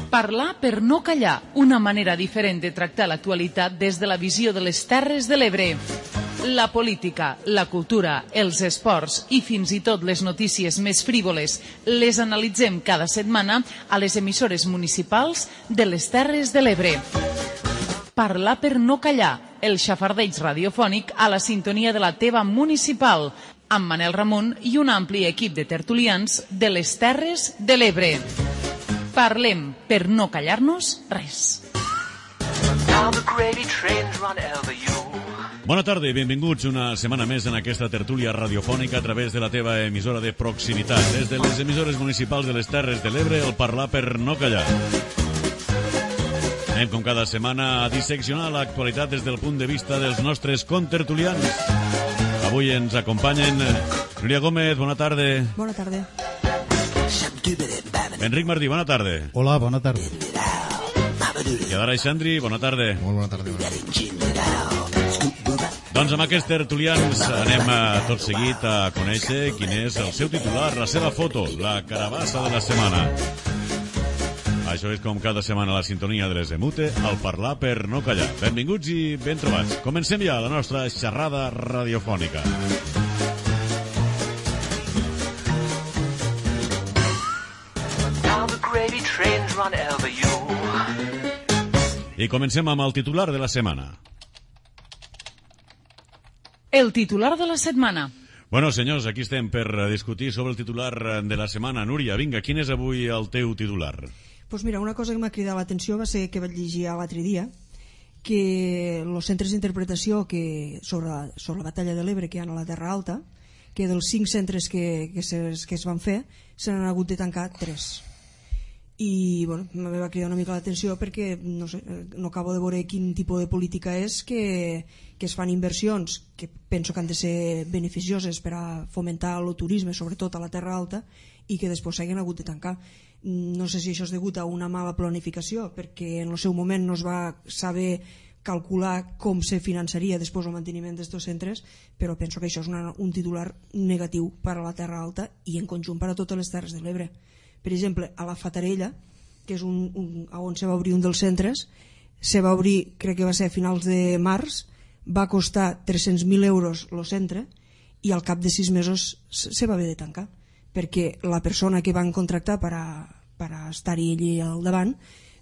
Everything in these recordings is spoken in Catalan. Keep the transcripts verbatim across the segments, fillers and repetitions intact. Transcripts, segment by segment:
Parlar per no callar, una manera diferent de tractar l'actualitat des de la visió de les Terres de l'Ebre. La política, la cultura, els esports i fins i tot les notícies més frívoles les analitzem cada setmana a les emissores municipals de les Terres de l'Ebre. Parlar per no callar, el xafardeig radiofònic a la sintonia de la teva municipal, amb Manel Ramon i un ampli equip de tertulians de les Terres de l'Ebre. Parlem per no callar-nos res. Bona tarda i benvinguts una setmana més en aquesta tertúlia radiofònica a través de la teva emissora de proximitat. Des de les emissores municipals de les Terres de l'Ebre, el Parlar per no callar. Anem com cada setmana a disseccionar l'actualitat des del punt de vista dels nostres contertulians. Avui ens acompanyen Núria Gómez, bona tarda. Bona tarda. Enric Martí, bona tarda. Hola, bona tarda. I Adara Xandri, bona tarda. Molt bona tarda. Doncs amb aquests tertulians anem a, tot seguit a conèixer quin és el seu titular, la seva foto, la carabassa de la setmana. Això és com cada setmana a la sintonia de les Emute, al Parlar per no callar. Benvinguts i ben trobats. Comencem ja la nostra xerrada radiofònica. I comencem amb el titular de la setmana. El titular de la setmana. Bueno, senyors, aquí estem per discutir sobre el titular de la setmana. Núria, vinga, quin és avui el teu titular? Pues mira, una cosa que m'ha cridat l'atenció va ser que vaig llegir l'altre dia que els centres d'interpretació que sobre, la, sobre la batalla de l'Ebre que hi ha a la Terra Alta, que dels cinc centres que, que, es, que es van fer se n'han hagut de tancar tres. I bueno, me va cridar una mica l'atenció perquè no, sé, no acabo de veure quin tipus de política és que, que es fan inversions que penso que han de ser beneficioses per a fomentar el turisme, sobretot a la Terra Alta, i que després s'hagin hagut de tancar. No sé si això és degut a una mala planificació, perquè en el seu moment no es va saber calcular com se finançaria després el manteniment d'aquests centres, però penso que això és una, un titular negatiu per a la Terra Alta i en conjunt per a totes les Terres de l'Ebre. Per exemple, a la Fatarella, que és un, un, on se va obrir un dels centres, se va obrir, crec que va ser a finals de març, va costar tres-cents mil euros el centre i al cap de sis mesos se va haver de tancar, perquè la persona que van contractar per a, per a estar-hi allí al davant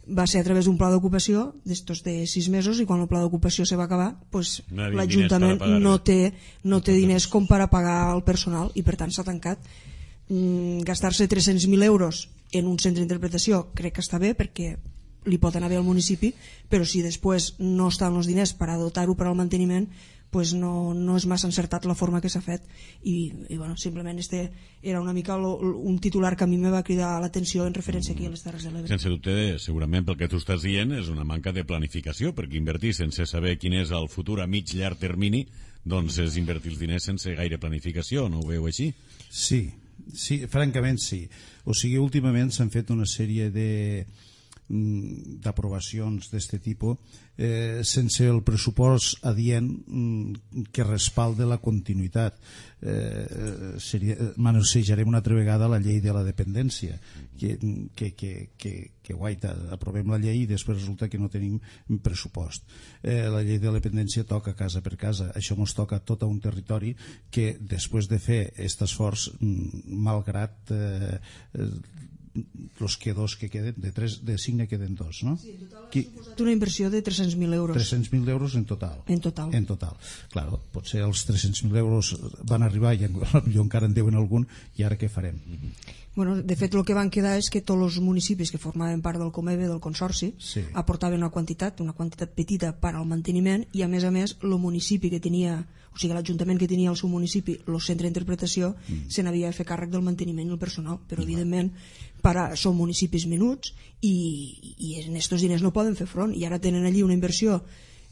va ser a través d'un pla d'ocupació d'estos de sis mesos i quan el pla d'ocupació se va acabar, pues, no l'Ajuntament no té, no té diners com per a pagar el personal i per tant s'ha tancat. Mm, gastar-se tres-cents mil euros en un centre d'interpretació crec que està bé perquè li pot anar bé al municipi, però si després no estan els diners per a dotar-ho per al manteniment, pues no, no és massa encertat la forma que s'ha fet i, i bueno, simplement este era una mica lo, un titular que a mi me va cridar l'atenció en referència aquí a les Terres de l'Ebre. Sense dubte, segurament pel que tu estàs dient és una manca de planificació, perquè invertir sense saber quin és el futur a mig llarg termini, doncs és invertir els diners sense gaire planificació, no ho veu així? Sí, sí, francament sí. O sigui, últimament s'han fet una sèrie de d'aprovacions d'aquest tipus eh, sense el pressupost adient mm, que respalde la continuïtat. Eh, seria, manejarem una altra vegada la llei de la dependència, que, que, que, que, que guaita, aprovem la llei i després resulta que no tenim pressupost. Eh, la llei de la dependència toca casa per casa, això ens toca tot a un territori que després de fer aquest esforç, malgrat eh, els que dos que queden, de, tres, de cinc ne queden dos, no? Sí, en total ha suposat una inversió de tres-cents mil euros. tres-cents mil euros en total. En total. En total. Claro, potser els tres-cents mil euros van arribar i potser encara en deuen algun i ara què farem? Bueno, de fet, el que van quedar és que tots els municipis que formaven part del Comeve, del Consorci, sí, aportaven una quantitat, una quantitat petita per al manteniment i, a més a més, el municipi que tenia, o sigui, l'Ajuntament que tenia al seu municipi, el centre d'interpretació, mm. se n'havia de fer càrrec del manteniment del personal, però, mm. evidentment, para, són municipis menuts i, i en aquests diners no poden fer front i ara tenen allí una inversió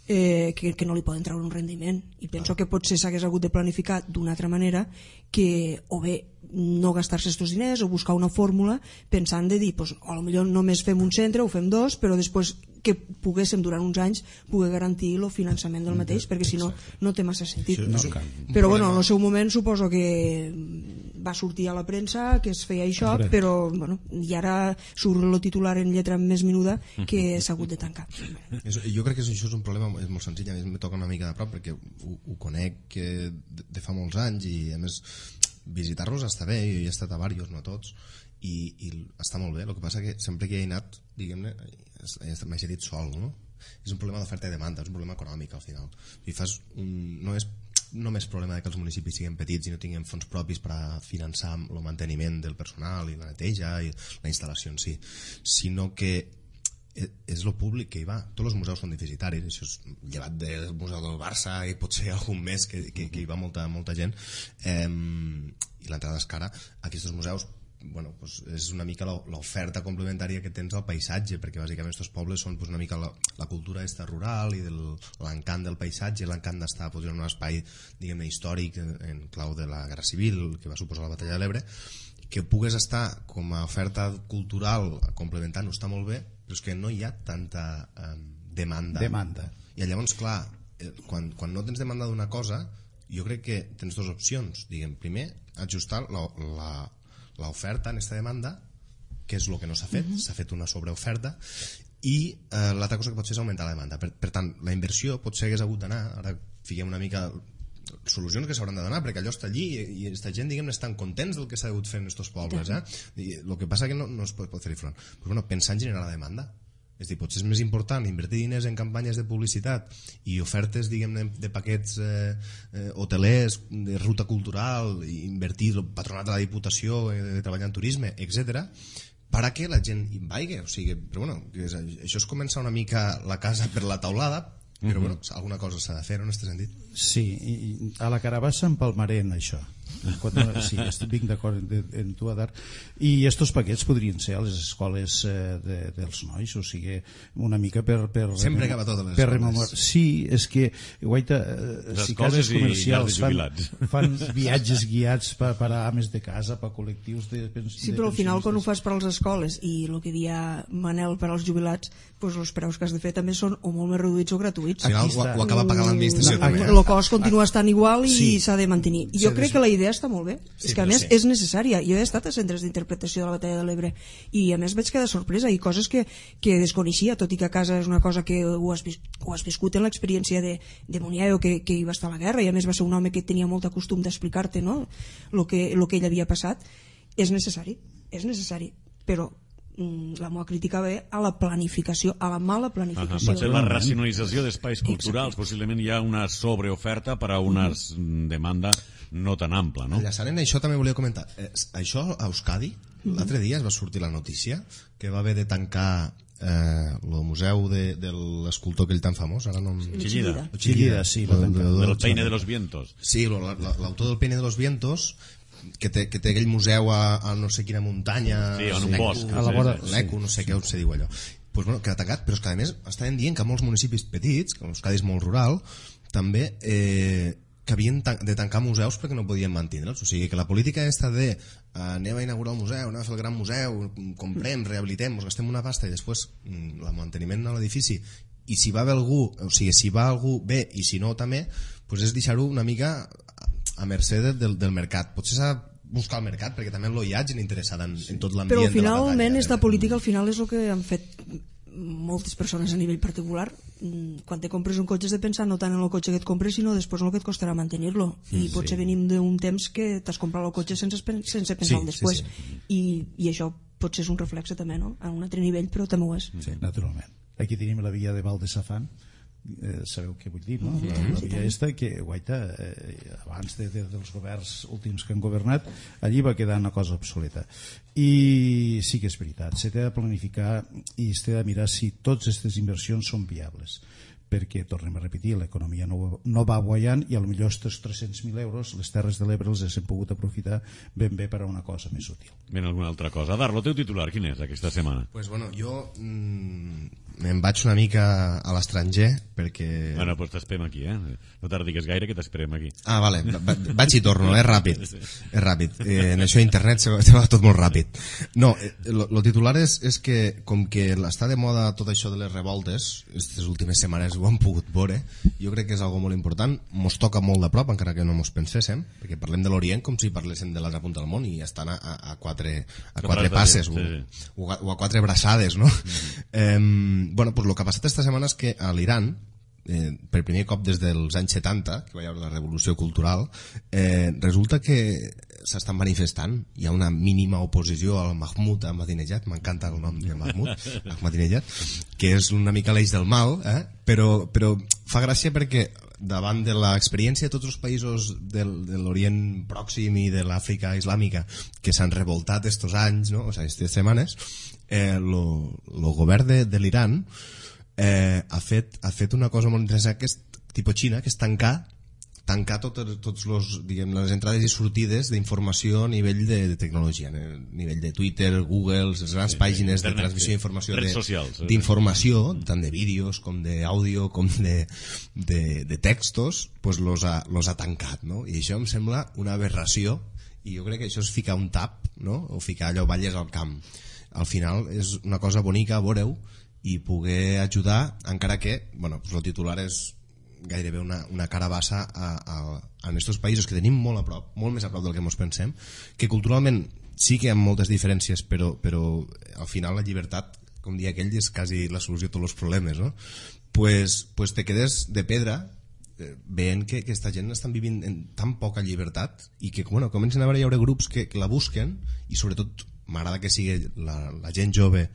eh, que, que no li poden treure un rendiment i penso que potser s'hagués hagut de planificar d'una altra manera que o bé no gastar-se aquests diners o buscar una fórmula pensant de dir, pues, a lo millor només fem un centre o fem dos, però després que poguéssim durant uns anys poder garantir el finançament del mateix, perquè si no no té massa sentit. No, però bueno, en el seu moment suposo que va sortir a la premsa que es feia això, però bueno, i ara surt el titular en lletra més menuda que s'ha hagut de tancar. Jo crec que això és un problema és molt senzill, a mi em toca una mica de prop perquè ho, ho conec de, de fa molts anys i a més visitar-los està bé, jo he estat a diversos, no a tots, i, i està molt bé. El que passa que sempre que hi he anat, diguem-ne, m'he sentit sol, no? És un problema d'oferta i demanda, és un problema econòmic al final. I fas un, no és només problema de que els municipis siguin petits i no tinguin fons propis per a finançar el manteniment del personal i la neteja i la instal·lació en si, sinó que és el públic que hi va. Tots els museus són deficitaris, això és llevat del Museu del Barça i potser algun més que, que, que hi va molta, molta gent, eh, i l'entrada és cara. Aquests museus, bueno, pues és una mica l'oferta complementària que tens al paisatge, perquè bàsicament aquests pobles són pues, una mica la, la cultura esta rural i l'encant del paisatge, l'encant d'estar pues, en un espai diguem-ne històric en clau de la Guerra Civil que va suposar la Batalla de l'Ebre, que pugues estar com a oferta cultural complementant està molt bé, però és que no hi ha tanta eh, demanda. demanda i llavors clar, quan, quan no tens demanda d'una cosa, jo crec que tens dues opcions, diguem, primer ajustar la, la l'oferta en aquesta demanda, que és el que no s'ha fet, s'ha fet una sobreoferta, i eh, l'altra cosa que pot fer és augmentar la demanda. Per, per tant, la inversió potser hagués hagut d'anar, ara fiquem una mica solucions que s'hauran de donar, perquè allò està allí i, i aquesta gent, diguem, estan contents del que s'ha hagut fer en aquests pobles, eh? I el que passa que no, no es pot, pot fer-hi front. Però bueno, pensar en generar la demanda. És dir, potser és més important invertir diners en campanyes de publicitat i ofertes, diguem, de, de paquets eh, eh, hotelers, de ruta cultural, invertir el patronat de la Diputació, eh, de treballar en turisme, etcètera, per a que la gent hi vagi. O sigui, però bueno, això és començar una mica la casa per la taulada, però bueno, alguna cosa s'ha de fer en aquest sentit. Sí, i a la Carabassa empalmaré en això. Quan, sí, estic d'acord en tu, Adar. I estos paquets podrien ser a les escoles eh, de, dels nois, o sigui, una mica per... per sempre acaba tot a les per escoles. Sí, és que, guaita, eh, si cases comercials fan, fan viatges guiats per, per a ames de casa, per a col·lectius de pensions. Sí, però al final quan ho fas per a les escoles i el que dia Manel per als jubilats, doncs els preus que has de fer també són o molt més reduïts o gratuïts. Al final ho, ho acaba pagant l'administració també. El cost continua estant igual i s'ha sí. de mantenir. Jo crec que la idea està molt bé, sí, és que a més sí. és necessària. Jo he estat a centres d'interpretació de la Batalla de l'Ebre i a més vaig quedar sorpresa i coses que, que desconeixia, tot i que a casa és una cosa que ho has, ho has viscut en l'experiència de, de Muniaio, que, que hi va estar a la guerra i a més va ser un home que tenia molt costum d'explicar-te, no?, el que, lo que ell havia passat. És necessari, és necessari, però la meva crítica ve a la planificació, a la mala planificació. Uh -huh. Potser la racionalització d'espais culturals. Exacte. Possiblement hi ha una sobreoferta per a una uh -huh. demanda no tan ampla, no? Enllaçant en això també volia comentar. Eh, això a Euskadi, uh -huh. l'altre dia es va sortir la notícia que va haver de tancar el eh, museu de, de l'escultor aquell tan famós, ara no em... Chillida. Chillida, sí. Del, del Peine de los Vientos. Sí, l'autor del Peine de los Vientos, que té, que té aquell museu a, a no sé quina muntanya, sí, en un bosc, a la vora, l'Eco, no sé sí, què sí. se diu allò. Pues bueno, queda tancat, però és que a més estaven dient que molts municipis petits, que l'Euskadi és molt rural, també eh, que havien de tancar museus perquè no podien mantindre'ls. O sigui, que la política aquesta de eh, anem a inaugurar el museu, anem a fer el gran museu, comprem, rehabilitem, ens gastem una pasta i després mm, el manteniment de l'edifici, i si va bé algú, o sigui, si va algú bé i si no també, pues és deixar-ho una mica a mercè del, del mercat. Potser s'ha de buscar el mercat perquè també hi ha gent interessada en, en tot l'ambient. Però finalment aquesta política al final és el que han fet moltes persones a nivell particular. Quan te compres un cotxe has de pensar no tant en el cotxe que et compres sinó després en el que et costarà mantenir-lo, i sí. potser venim d'un temps que t'has comprat el cotxe sense, sense pensar sí, després sí, sí. I, i això potser és un reflexe també, no?, a un altre nivell, però també ho és. Sí, naturalment. Aquí tenim la via de Val de Safant. Eh, sabeu què vull dir, no? La, la via esta que, guaita, eh, abans de, de, dels governs últims que han governat, allí va quedar una cosa obsoleta. I sí que és veritat, s'ha de planificar i s'ha de mirar si totes aquestes inversions són viables, perquè, tornem a repetir, l'economia no, no va guanyant i potser aquests tres-cents mil euros les Terres de l'Ebre els hem pogut aprofitar ben bé per a una cosa més útil. Ben, alguna altra cosa. Adar, el teu titular, quin és aquesta setmana? Pues bueno, jo mmm, me'n vaig una mica a l'estranger perquè... Bueno, doncs t'esperem aquí, eh? No tardigues gaire que t'esperem aquí. Ah, vale, va, vaig i torno, és ràpid. És ràpid. Eh, en això internet se va, se va tot molt ràpid. No, el titular és, és que com que està de moda tot això de les revoltes, aquestes últimes setmanes ho han pogut veure, jo crec que és algo molt important, mos toca molt de prop, encara que no mos penséssim, perquè parlem de l'Orient com si parléssim de l'altra punta del món i estan a, a, a quatre, a quatre passes o, o, a, o a quatre braçades, no? Mm-hmm. Eh, bueno, pues lo que ha passat esta setmana és que a l'Iran, Eh, per primer cop des dels anys setanta, que va haver la revolució cultural, eh, resulta que s'estan manifestant. Hi ha una mínima oposició al Mahmoud Ahmadinejad, m'encanta el nom de Mahmoud Ahmadinejad, que és una mica l'eix del mal, eh? però, però fa gràcia perquè davant de l'experiència de tots els països del, de l'Orient Pròxim i de l'Àfrica Islàmica que s'han revoltat estos anys, no? O sigui, aquestes setmanes, eh, lo, lo govern de, de l'Iran Eh, ha, fet, ha fet una cosa molt interessant que és tipus Xina, que és tancar tancar tots, tots los, diguem, les entrades i sortides d'informació a nivell de, de tecnologia, a nivell de Twitter, Google, les grans sí, pàgines internet, de transmissió d'informació sí. d'informació, tant de vídeos com d'àudio com de, de, de textos, pues los ha, los ha tancat, no? I això em sembla una aberració i jo crec que això és ficar un tap, no? O ficar allò balles al camp. Al final és una cosa bonica, veureu, i poder ajudar, encara que bueno, pues el titular és gairebé una, una carabassa a, a, a aquests països que tenim molt a prop, molt més a prop del que ens pensem, que culturalment sí que hi ha moltes diferències, però, però al final la llibertat, com dia aquell, és quasi la solució a tots els problemes, no? Pues, pues te quedes de pedra eh, veient que aquesta gent estan vivint en tan poca llibertat i que bueno, comencen a haver, hi haurà grups que, que la busquen i sobretot m'agrada que sigui la, la gent jove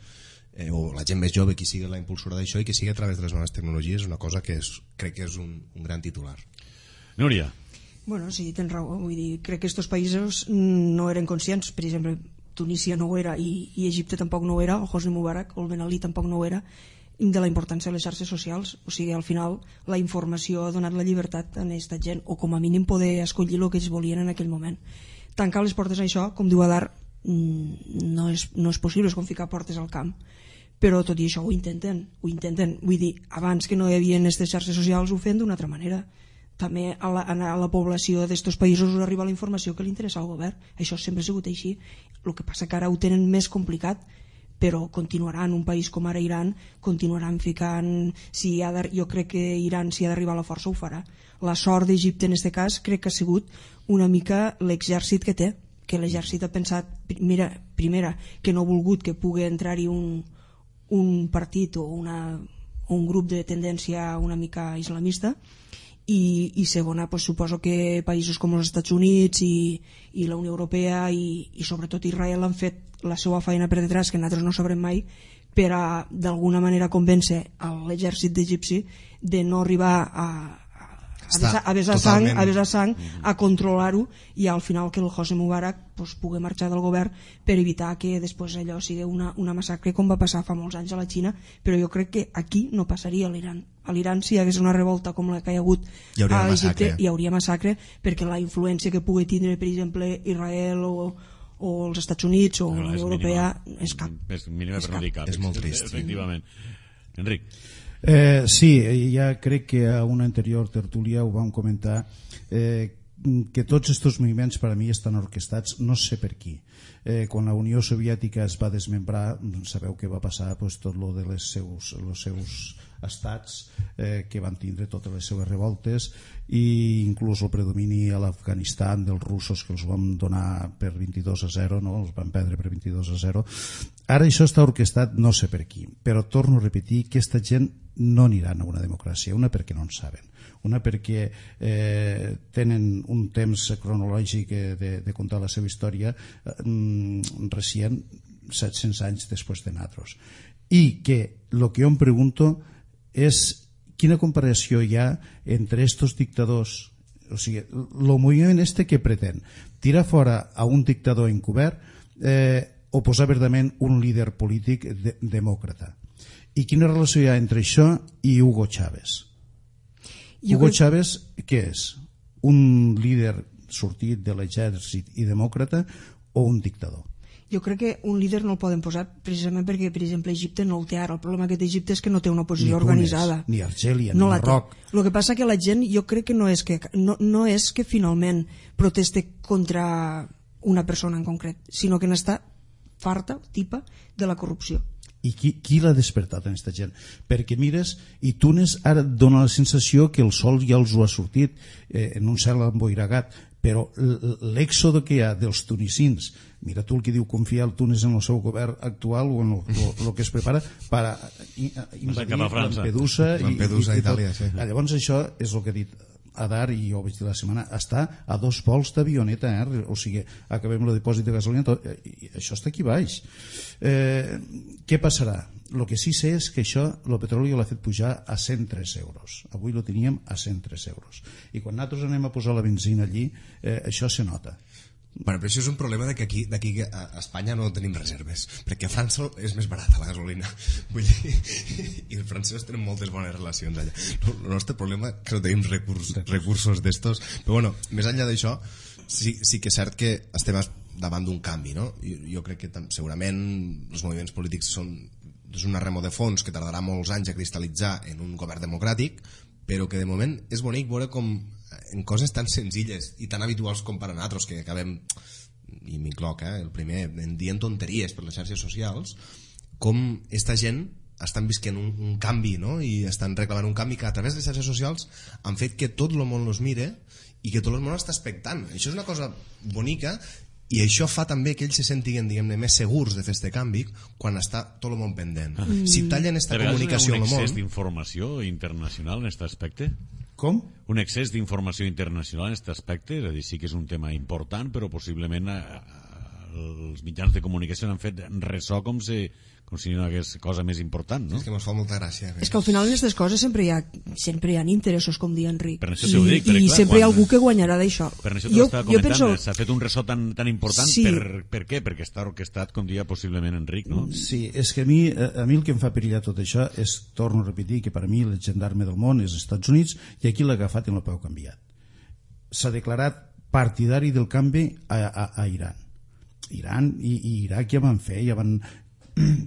Eh, o la gent més jove qui sigui la impulsora d'això i que sigui a través de les noves tecnologies, una cosa que és, crec que és un, un gran titular. Núria. Bueno, sí, tens raó, vull dir, crec que aquests països no eren conscients, per exemple Tunísia no ho era i, i Egipte tampoc no ho era, o Hosni Mubarak o el Ben Ali tampoc no ho era, de la importància de les xarxes socials. O sigui, al final la informació ha donat la llibertat a aquesta gent, o com a mínim poder escollir el que ells volien en aquell moment. Tancar les portes a això, com diu Adar, no és, no és possible, és com ficar portes al camp, però tot i això ho intenten, ho intenten. Vull dir, abans que no hi havia aquestes xarxes socials ho feien d'una altra manera. També a la, a la població d'estos països us arriba la informació que li interessa al govern, això sempre ha sigut així. El que passa que ara ho tenen més complicat, però continuaran, un país com ara Iran continuaran ficant, si ha de, jo crec que Iran si ha d'arribar a la força ho farà. La sort d'Egipte en aquest cas crec que ha sigut una mica l'exèrcit que té, que l'exèrcit ha pensat, mira, primera, que no ha volgut que pugui entrar-hi un un partit o una, un grup de tendència una mica islamista i, i segona, pues, suposo que països com els Estats Units i, i la Unió Europea i, i sobretot Israel han fet la seva feina per detrás, que nosaltres no sabrem mai, per a d'alguna manera convèncer l'exèrcit d'egipci de no arribar a a besar, a besar sang, a besar sang, a controlar-ho i al final que el Hosni Mubarak pues, pugui marxar del govern per evitar que després allò sigui una, una massacre com va passar fa molts anys a la Xina, però jo crec que aquí no passaria a l'Iran. A l'Iran si hi hagués una revolta com la que hi ha hagut a Egipte hi hauria massacre perquè la influència que pugui tindre per exemple Israel o o els Estats Units o la Unió Europea és cap. És mínima per no dir cap. És molt trist. Efectivament. Enric. Eh, sí, ja crec que a una anterior tertúlia ho vam comentar, eh, que tots aquests moviments per a mi estan orquestats, no sé per qui. Eh, quan la Unió Soviètica es va desmembrar, sabeu què va passar, pues, tot lo de les seus, els seus estats eh, que van tindre totes les seves revoltes i inclús el predomini a l'Afganistan dels russos que els van donar per vint-i-dos a zero, no? Els van perdre per vint-i-dos a zero. Ara això està orquestat no sé per qui, però torno a repetir que aquesta gent no aniran a una democràcia, una perquè no en saben, una perquè eh, tenen un temps cronològic de, de contar la seva història eh, recient set-cents anys després de nosaltres, i que el que jo em pregunto és quina comparació hi ha entre estos dictadors, o sigui, el moviment este que pretén tirar fora a un dictador encobert eh, o posar verdament un líder polític de, demòcrata. I quina relació hi ha entre això i Hugo Chávez? Jo Hugo crec... Chávez, què és? Un líder sortit de l'exèrcit i demòcrata o un dictador? Jo crec que un líder no el poden posar precisament perquè, per exemple, Egipte no el té ara. El problema que té Egipte és que no té una oposició ni Tunis, organitzada. Ni Argèlia, no ni la Marroc. Té. El que passa que la gent, jo crec que no és que, no, no és que finalment proteste contra una persona en concret, sinó que n'està farta, tipa, de la corrupció. I qui, qui l'ha despertat en aquesta gent? Perquè mires, i Túnez ara et dona la sensació que el sol ja els ho ha sortit eh, en un cel emboiragat, però l'èxode que hi ha dels tunisins, mira tu el que diu confiar el Túnez en el seu govern actual o en el que es prepara per a invadir Lampedusa, Lampedusa i, i, i Itàlia, sí. Llavors això és el que ha dit Adar, i jo ho vaig dir la setmana, està a dos vols d'avioneta, eh? O sigui, acabem el dipòsit de gasolina, tot, i això està aquí baix. Eh, què passarà? El que sí sé és que això, el petroli l'ha fet pujar a cent tres euros. Avui lo teníem a cent tres euros. I quan nosaltres anem a posar la benzina allí, eh, això se nota. Bueno, però això és un problema de que aquí, d'aquí a Espanya no tenim reserves, perquè a França és més barata la gasolina. Vull dir, i els francesos tenen moltes bones relacions allà. El nostre problema és que no tenim recurs, recursos d'estos. Però bueno, més enllà d'això, sí, sí que és cert que estem davant d'un canvi, no? Jo, jo crec que segurament els moviments polítics són és una remo de fons que tardarà molts anys a cristal·litzar en un govern democràtic, però que de moment és bonic veure com en coses tan senzilles i tan habituals com per a nosaltres, que acabem, i m'incloc, eh, el primer, en dient tonteries per les xarxes socials, com esta gent estan visquent un, un canvi, no? I estan reclamant un canvi que a través de les xarxes socials han fet que tot el món els mire i que tot el món està expectant. Això és una cosa bonica, i això fa també que ells se sentin, diguem-ne, més segurs de fer este canvi quan està tot el món pendent. Ah. Si tallen esta comunicació al món... ¿Un excés d'informació internacional en aquest aspecte? Com? Un excés d'informació internacional en aquest aspecte? És a dir, sí que és un tema important, però possiblement eh, els mitjans de comunicació han fet ressò com si, com si no hi hagués cosa més important, no? És que ens fa molta gràcia. És que al final en aquestes coses sempre hi ha, sempre hi ha interessos, com diu Enric. Per això t'ho dic, I, i clar, sempre hi ha quan... algú que guanyarà d'això. Per això t'ho estava comentant, penso... s'ha fet un ressò tan, tan important, sí. per, per què? Perquè està orquestat, com dia possiblement Enric, no? Sí, és que a mi, a mi el que em fa perillar tot això és, torno a repetir, que per a mi el gendarme del món és els Estats Units, i aquí l'ha agafat i no l'ha peu canviat. S'ha declarat partidari del canvi a, a, a Iran. Iran i, i Iraq ja van fer, ja van...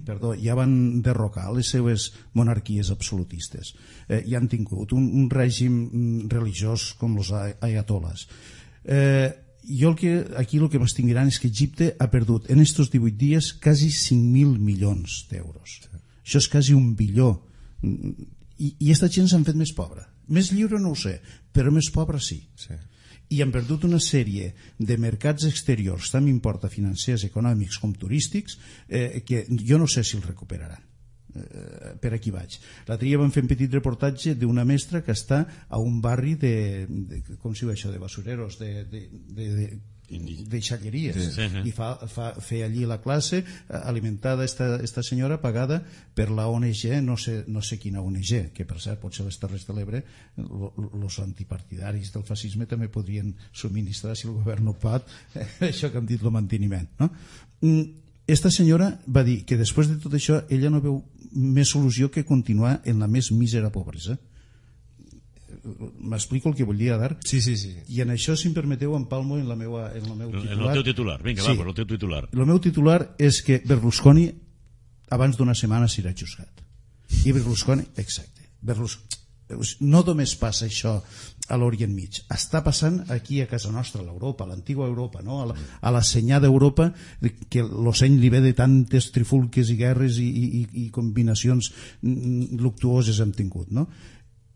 perdó, ja van derrocar les seues monarquies absolutistes, eh, i han tingut un, un règim religiós com els ayatoles. Eh, jo el que, aquí el que m'extinguiran és que Egipte ha perdut en estos divuit dies quasi cinc mil milions d'euros. Això és quasi un bilió. I, i esta gent s'han fet més pobra. Més lliure no ho sé, però més pobra sí. Sí. I han perdut una sèrie de mercats exteriors, tant m'importa financers, econòmics com turístics, eh, que jo no sé si els recuperaran. Eh, per aquí vaig. L'altre dia vam fer un petit reportatge d'una mestra que està a un barri de, de com si diu això, de basureros, de, de, de, de de xalleries, sí, sí, sí. I fa, fa, feia allí la classe alimentada esta, esta senyora pagada per la O N G, no sé, no sé quina O N G, que per cert potser les Terres de l'Ebre els antipartidaris del fascisme també podrien subministrar, si el govern no pot, això que han dit el manteniment, no? Esta senyora va dir que després de tot això ella no veu més solució que continuar en la més mísera pobresa. M'explico el que volia dar? Sí, sí, sí. I en això, si em permeteu, empalmo en, la meua, en el meu titular. En el teu titular, vinga, sí. Va, per el teu titular. El meu titular és que Berlusconi abans d'una setmana serà juzgat. I Berlusconi, exacte, Berlusconi, no només passa això a l'Orient Mig, està passant aquí a casa nostra, a l'Europa, a l'antigua Europa, no? a, la, a la senyà d'Europa, que l'ocell li ve de tantes trifulques i guerres i, i, i combinacions luctuoses hem tingut, no?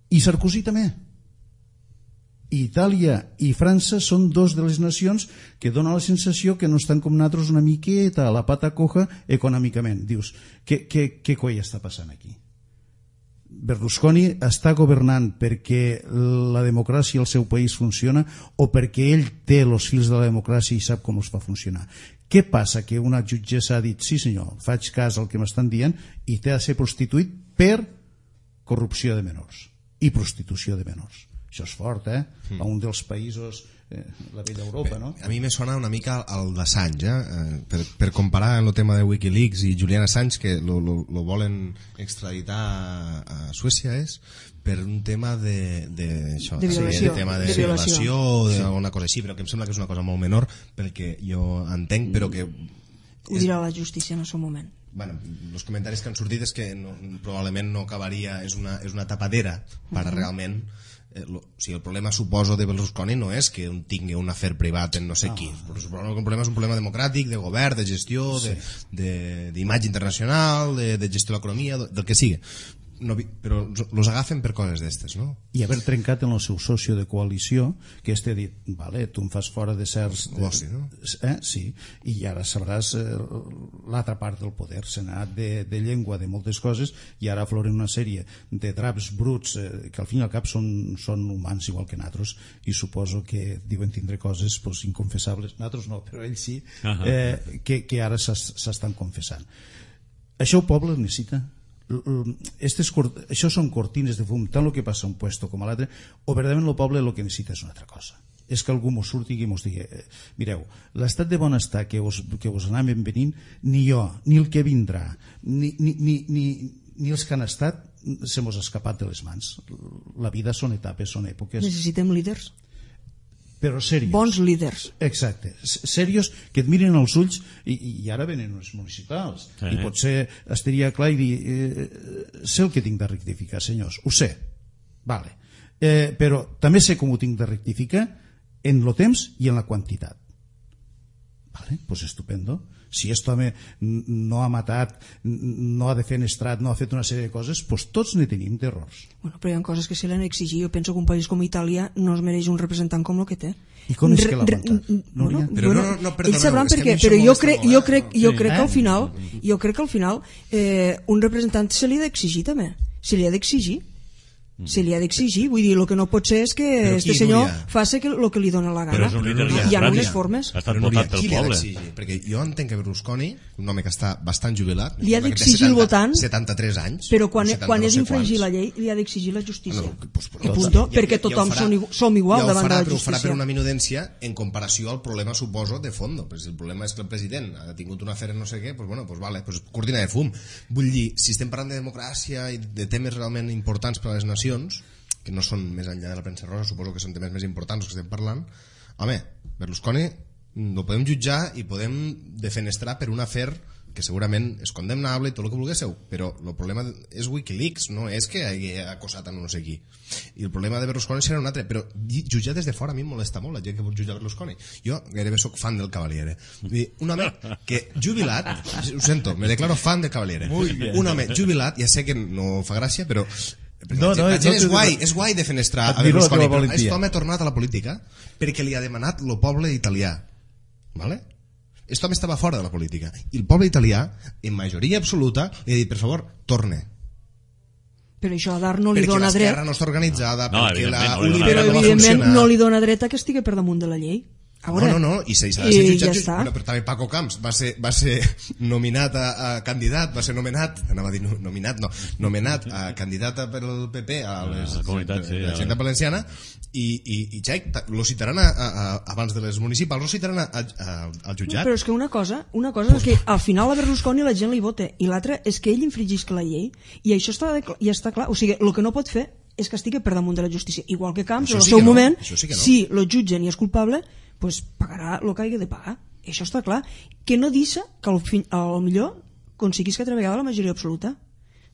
I Sarkozy també. Itàlia i França són dos de les nacions que donen la sensació que no estan com nosaltres una miqueta a la pata coja econòmicament. Dius, què, què, què coi està passant aquí? Berlusconi està governant perquè la democràcia al seu país funciona o perquè ell té els fils de la democràcia i sap com els fa funcionar? Què passa? Que una jutgessa ha dit, sí senyor, faig cas al que m'estan dient i té de ser prostituït per corrupció de menors i prostitució de menors. Això és fort, eh? A un dels països, eh, la vella Europa, no? A mi me sona una mica al d'Assange, eh? per, per comparar en el tema de Wikileaks i Julian Assange, que lo, lo, lo volen extraditar a, a Suècia, és per un tema de, de, això, de violació, sí, de, tema de, de violació o d'alguna cosa així, però que em sembla que és una cosa molt menor pel que jo entenc, però que ho dirà la justícia en el seu moment. Bueno, els comentaris que han sortit és que no, probablement no acabaria, és una, és una tapadera per uh -huh. realment eh, lo, o sigui, el problema suposo de Berlusconi no és que un tingui un afer privat en no sé ah. qui, però el problema és un problema democràtic, de govern, de gestió, sí. d'imatge internacional, de, de gestió de l'economia, del que sigui. No, però els agafen per coses d'estes, no? I haver trencat en el seu socio de coalició, que este ha dit, vale, tu em fas fora de certs... L'oci, no? Eh? Sí, i ara sabràs eh, l'altra part del poder. Se n'ha anat de, de llengua, de moltes coses, i ara afloren una sèrie de draps bruts eh, que al fin i al cap són, són humans igual que nosaltres, i suposo que diuen tindre coses pues, inconfessables. Nosaltres no, però ells sí, eh, que, que ara s'estan confessant. Això el poble necessita. Estes, això són cortines de fum, tant el que passa a un puesto com a l'altre, o verdaderament el poble el que necessita és una altra cosa, és que algú mos surti i mos digui eh, mireu, l'estat de benestar que us, que us anàvem venint, ni jo ni el que vindrà ni, ni, ni, ni, ni els que han estat se mos ha escapat de les mans. La vida són etapes, són èpoques. Necessitem líders, però serios. Bons líders. Exacte, serios, que et miren als ulls, i, i ara venen els municipals, sí. I potser estaria clar i dir eh, sé el que tinc de rectificar, senyors, ho sé, vale. eh, però també sé com ho tinc de rectificar en el temps i en la quantitat. Vale, pues estupendo. Si aquest home no ha matat, no ha defenestrat, no ha fet una sèrie de coses, pues tots ne tenim d'errors. Bueno, però hi ha coses que se l'han exigit. Jo penso que un país com Itàlia no es mereix un representant com el que té. I com és que l'ha aguantat? No, bueno, però no, no, perdoneu, ells sabran per què, però jo crec, jo crec, jo crec que al final, jo crec que al final eh, un representant se li ha d'exigir també. Se li ha d'exigir. Se li ha d'exigir, vull dir, el que no pot ser és que este senyor faci el que li dona la gana. Però és un líder hi ha unes formes. Ha estat votat pel poble. Perquè jo entenc que Berlusconi, un home que està bastant jubilat, li ha d'exigir el votant, setanta-tres anys, però quan, quan és infringir la llei li ha d'exigir la justícia. I punto, perquè tothom som igual davant de la justícia. Ho farà per una minudència en comparació al problema, suposo, de fondo. Si el problema és que el president ha tingut una afer en no sé què, doncs bueno, pues vale, pues cortina de fum. Vull dir, si estem parlant de democràcia i de temes realment importants per a les nacions, que no són més enllà de la premsa rosa, suposo que són temes més importants que estem parlant, home, Berlusconi no podem jutjar i podem defenestrar per un afer que segurament és condemnable i tot el que vulguéssiu, però el problema és Wikileaks, no és que hagi acosat a no sé qui. I el problema de Berlusconi serà un altre, però jutjar des de fora a mi em molesta molt la gent que vol jutjar Berlusconi. Jo gairebé sóc fan del Cavaliere. Un home que jubilat, ho sento, me declaro fan del Cavaliere. Un home jubilat, ja sé que no fa gràcia, però no, no, la gent no, és guai, és guai de fenestrar a Berlusconi, però aquest home ha tornat a la política perquè li ha demanat el poble italià, vale? Aquest home estava fora de la política i el poble italià, en majoria absoluta, li ha dit, per favor, torne. Però això a Dar no li dona dret. Perquè l'esquerra no està organitzada, no, perquè la no, però evidentment no li dona dret a que estigui per damunt de la llei. No, no, no, i s'ha de ser jutjat, ja bueno, però també Paco Camps va ser, va ser nominat a, a candidat, va ser nomenat, anava a dir nominat, no, nomenat a candidat per el P P a les, la comunitat, sí, la Generalitat Valenciana, i, i, i Xaic, lo citaran a, a, a, abans de les municipals, lo citaran a, a, al jutjat. No, però és que una cosa, una cosa és que al final a Berlusconi la gent li vota, i l'altra és que ell infringisca la llei, i això està, ja està clar, o sigui, el que no pot fer és que estigui per damunt de la justícia, igual que Camps, en el seu moment, si lo jutgen i és culpable, pues pagarà el que hagi de pagar. Això està clar. Que no deixa que al, fin, al millor aconseguís que altra vegada la majoria absoluta.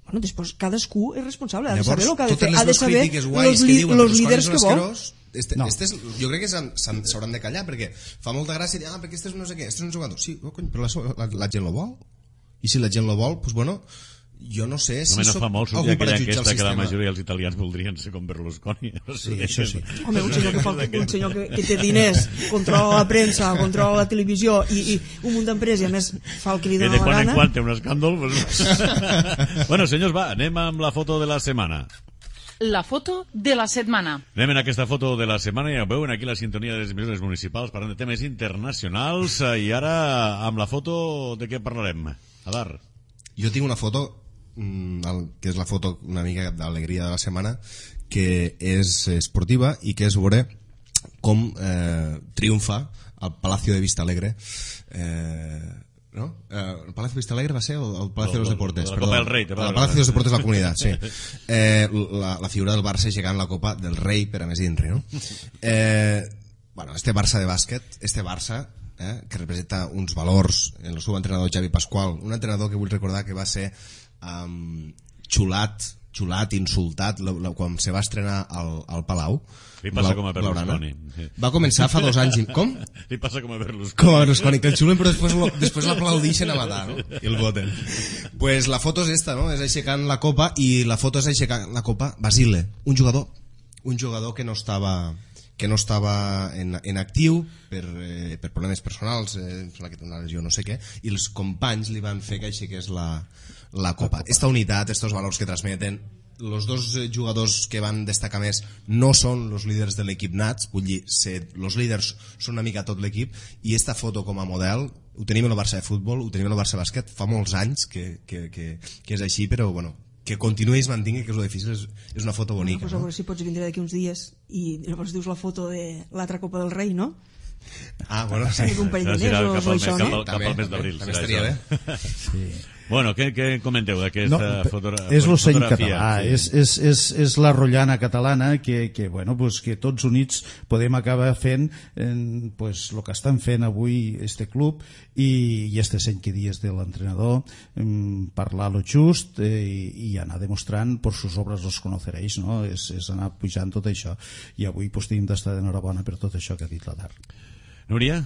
Bueno, després cadascú és responsable, ha de saber el que ha de fer, ha de saber els líders que vol. Este, no. este és, jo crec que s'hauran de callar, perquè fa molta gràcia dir, ah, perquè este és no sé què, este és un jugador. Sí, oh, cony, però la, la, la gent lo vol. I si la gent lo vol, doncs pues bueno, jo no sé si no soc fa molt sortir aquella enquesta que la majoria dels italians voldrien ser com Berlusconi. Sí, això sí. Home, un senyor que, fa, un senyor que, que té diners, controla la premsa, controla la televisió i, i un munt d'empreses i a més fa el que li dona la gana. Que de quan en quan té un escàndol. Pues... bueno, senyors, va, anem amb la foto de la setmana. La foto de la setmana. Anem en aquesta foto de la setmana i ja veuen aquí la sintonia de les emissores municipals parlant de temes internacionals i ara amb la foto de què parlarem? Adar. Jo tinc una foto que és la foto una mica d'alegria de la setmana, que és esportiva i que és veure com eh, triomfa el Palacio de Vista Alegre, eh, no? Eh, el Palacio de Vista Alegre va ser el, el Palacio de los Deportes, la Copa del Rei, el Palacio de los Deportes de la Comunitat, sí. Eh, la, la figura del Barça llegant la Copa del Rei per a més d'Inri, no? Eh, bueno, este Barça de bàsquet, este Barça eh, que representa uns valors en el seu entrenador Xavi Pasqual, un entrenador que vull recordar que va ser um, xulat xulat, insultat la, la, quan se va estrenar al, al Palau. Li passa com a Berlusconi. Sí. Va començar fa dos anys i... Com? Li passa com a Berlusconi. Com a Berlusconi, que el xulen però després, lo, després l'aplaudixen a matar, no? I el voten. Pues la foto és esta, no? És aixecant la copa i la foto és aixecant la copa Basile, un jugador un jugador que no estava que no estava en, en actiu per, eh, per problemes personals, eh, que té una lesió no sé què, i els companys li van fer que aixequés la, la copa. Esta unitat, estos valors que transmeten, els dos jugadors que van destacar més no són els líders de l'equip nats, vull dir, els líders són una mica tot l'equip, i esta foto com a model ho tenim en el Barça de futbol, ho tenim en el Barça de bàsquet, fa molts anys que, que, que, que és així, però bueno, que continuï i es mantingui, que és lo difícil, és, és una foto bonica. No, pues a veure si pots vindre d'aquí uns dies i llavors dius la foto de l'altra Copa del Rei, no? Ah, bueno, sí. Un parell de mesos o això, no? Cap al mes d'abril. També estaria bé. Sí. Bueno, què, què comenteu d'aquesta no, fotogra és l'ocell fotografia? Català, sí. és, és, és, és la rotllana catalana que, que, bueno, pues, que tots units podem acabar fent en, pues, el que estan fent avui este club i, i este cent que dies de l'entrenador, parlar lo just eh, i, i anar demostrant per sus obres los conoceréis, no? és, és anar pujant tot això i avui pues, tenim d'estar d'enhorabona per tot això que ha dit l'Adar. Núria?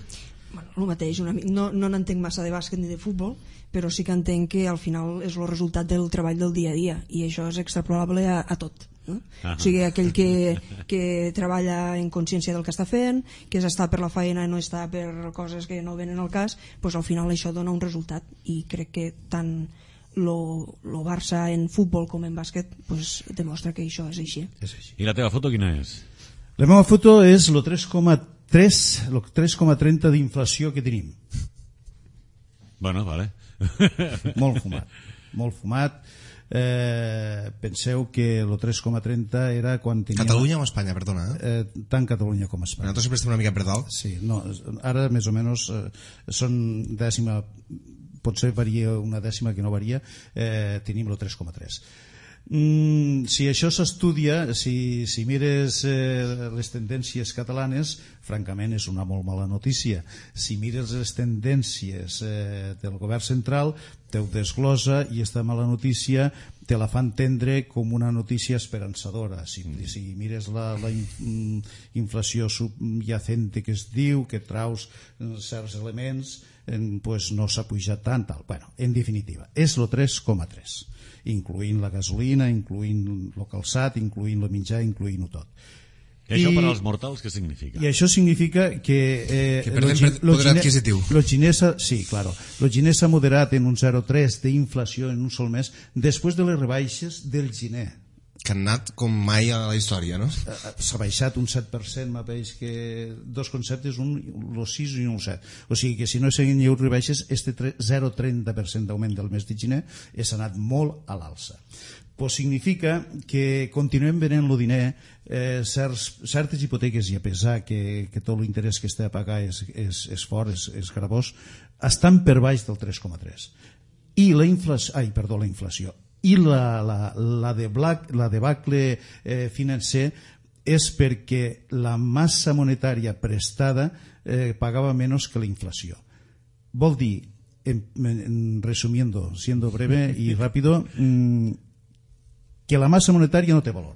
Bueno, el mateix, una, no, no n'entenc massa de bàsquet ni de futbol, però sí que entenc que al final és el resultat del treball del dia a dia i això és extrapolable a, a tot, no? O sigui, aquell que, que treballa en consciència del que està fent, que està per la feina i no està per coses que no venen al cas, doncs al final això dona un resultat i crec que tant lo, lo Barça en futbol com en bàsquet pues, demostra que això és així. És així. I la teva foto quina és? La meva foto és el tres coma tres, el tres coma trenta d'inflació que tenim. Bueno, vale. Molt fumat, molt fumat. Eh, penseu que el tres coma trenta era quan teníem... Catalunya o Espanya, perdona? Eh? Eh, tant Catalunya com Espanya. Nosaltres sempre estem una mica per dalt. Sí, no, ara més o menys eh, són dècima, potser varia una dècima que no varia, eh, tenim el tres coma tres. Mm, si això s'estudia, si, si mires eh, les tendències catalanes, francament és una molt mala notícia. Si mires les tendències eh, del govern central, te ho desglosa i esta mala notícia te la fa entendre com una notícia esperançadora. Si, si mires la, la inflació subyacente que es diu, que traus certs elements, eh, pues no s'ha pujat tant, tal. Bueno, en definitiva, és el tres coma tres. Incluint la gasolina, incluint el calçat, incluint el menjar, incluint-ho tot. I això per als mortals què significa? I això significa que... Eh, que perdem lo, lo poder adquisitiu. Lo xinesa, sí, claro. Lo xinès ha moderat en un zero coma tres d'inflació en un sol mes després de les rebaixes del gener. Que han anat com mai a la història, no? S'ha baixat un set per cent, m'apeix que dos conceptes, un el sis i un el set. O sigui que si no s'han hagut rebaixes, este zero coma trenta per cent d'augment del mes de gener és anat molt a l'alça. Pues significa que continuem venent el diner, eh, certs, certes hipoteques, i a pesar que, que tot l'interès que està a pagar és, és, és fort, és, és gravós, estan per baix del tres coma tres. I la inflació, ai, perdó, la inflació, i la, la, la, de black, la debacle eh, financer és perquè la massa monetària prestada eh, pagava menys que la inflació. Vol dir, en, en resumiendo, siendo breve y rápido, mmm, que la massa monetària no té valor,